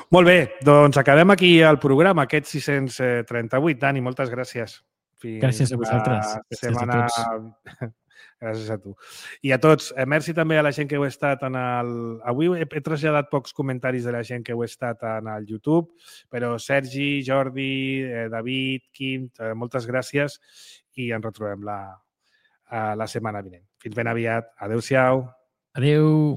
Speaker 2: Molt bé, doncs acabem aquí el programa, aquest sis-cents trenta-vuit. Dani, moltes gràcies. Fins
Speaker 4: Gràcies a vosaltres.
Speaker 2: la
Speaker 4: Gràcies a
Speaker 2: setmana... Gràcies a tu. I a tots, eh, merci també a la gent que heu estat en el... Avui he, he traslladat pocs comentaris de la gent que heu estat en el YouTube, però Sergi, Jordi, eh, David, Quim, eh, moltes gràcies i ens retrobem la, eh, la setmana vinent. Fins ben aviat. Adéu-siau.
Speaker 4: Adéu.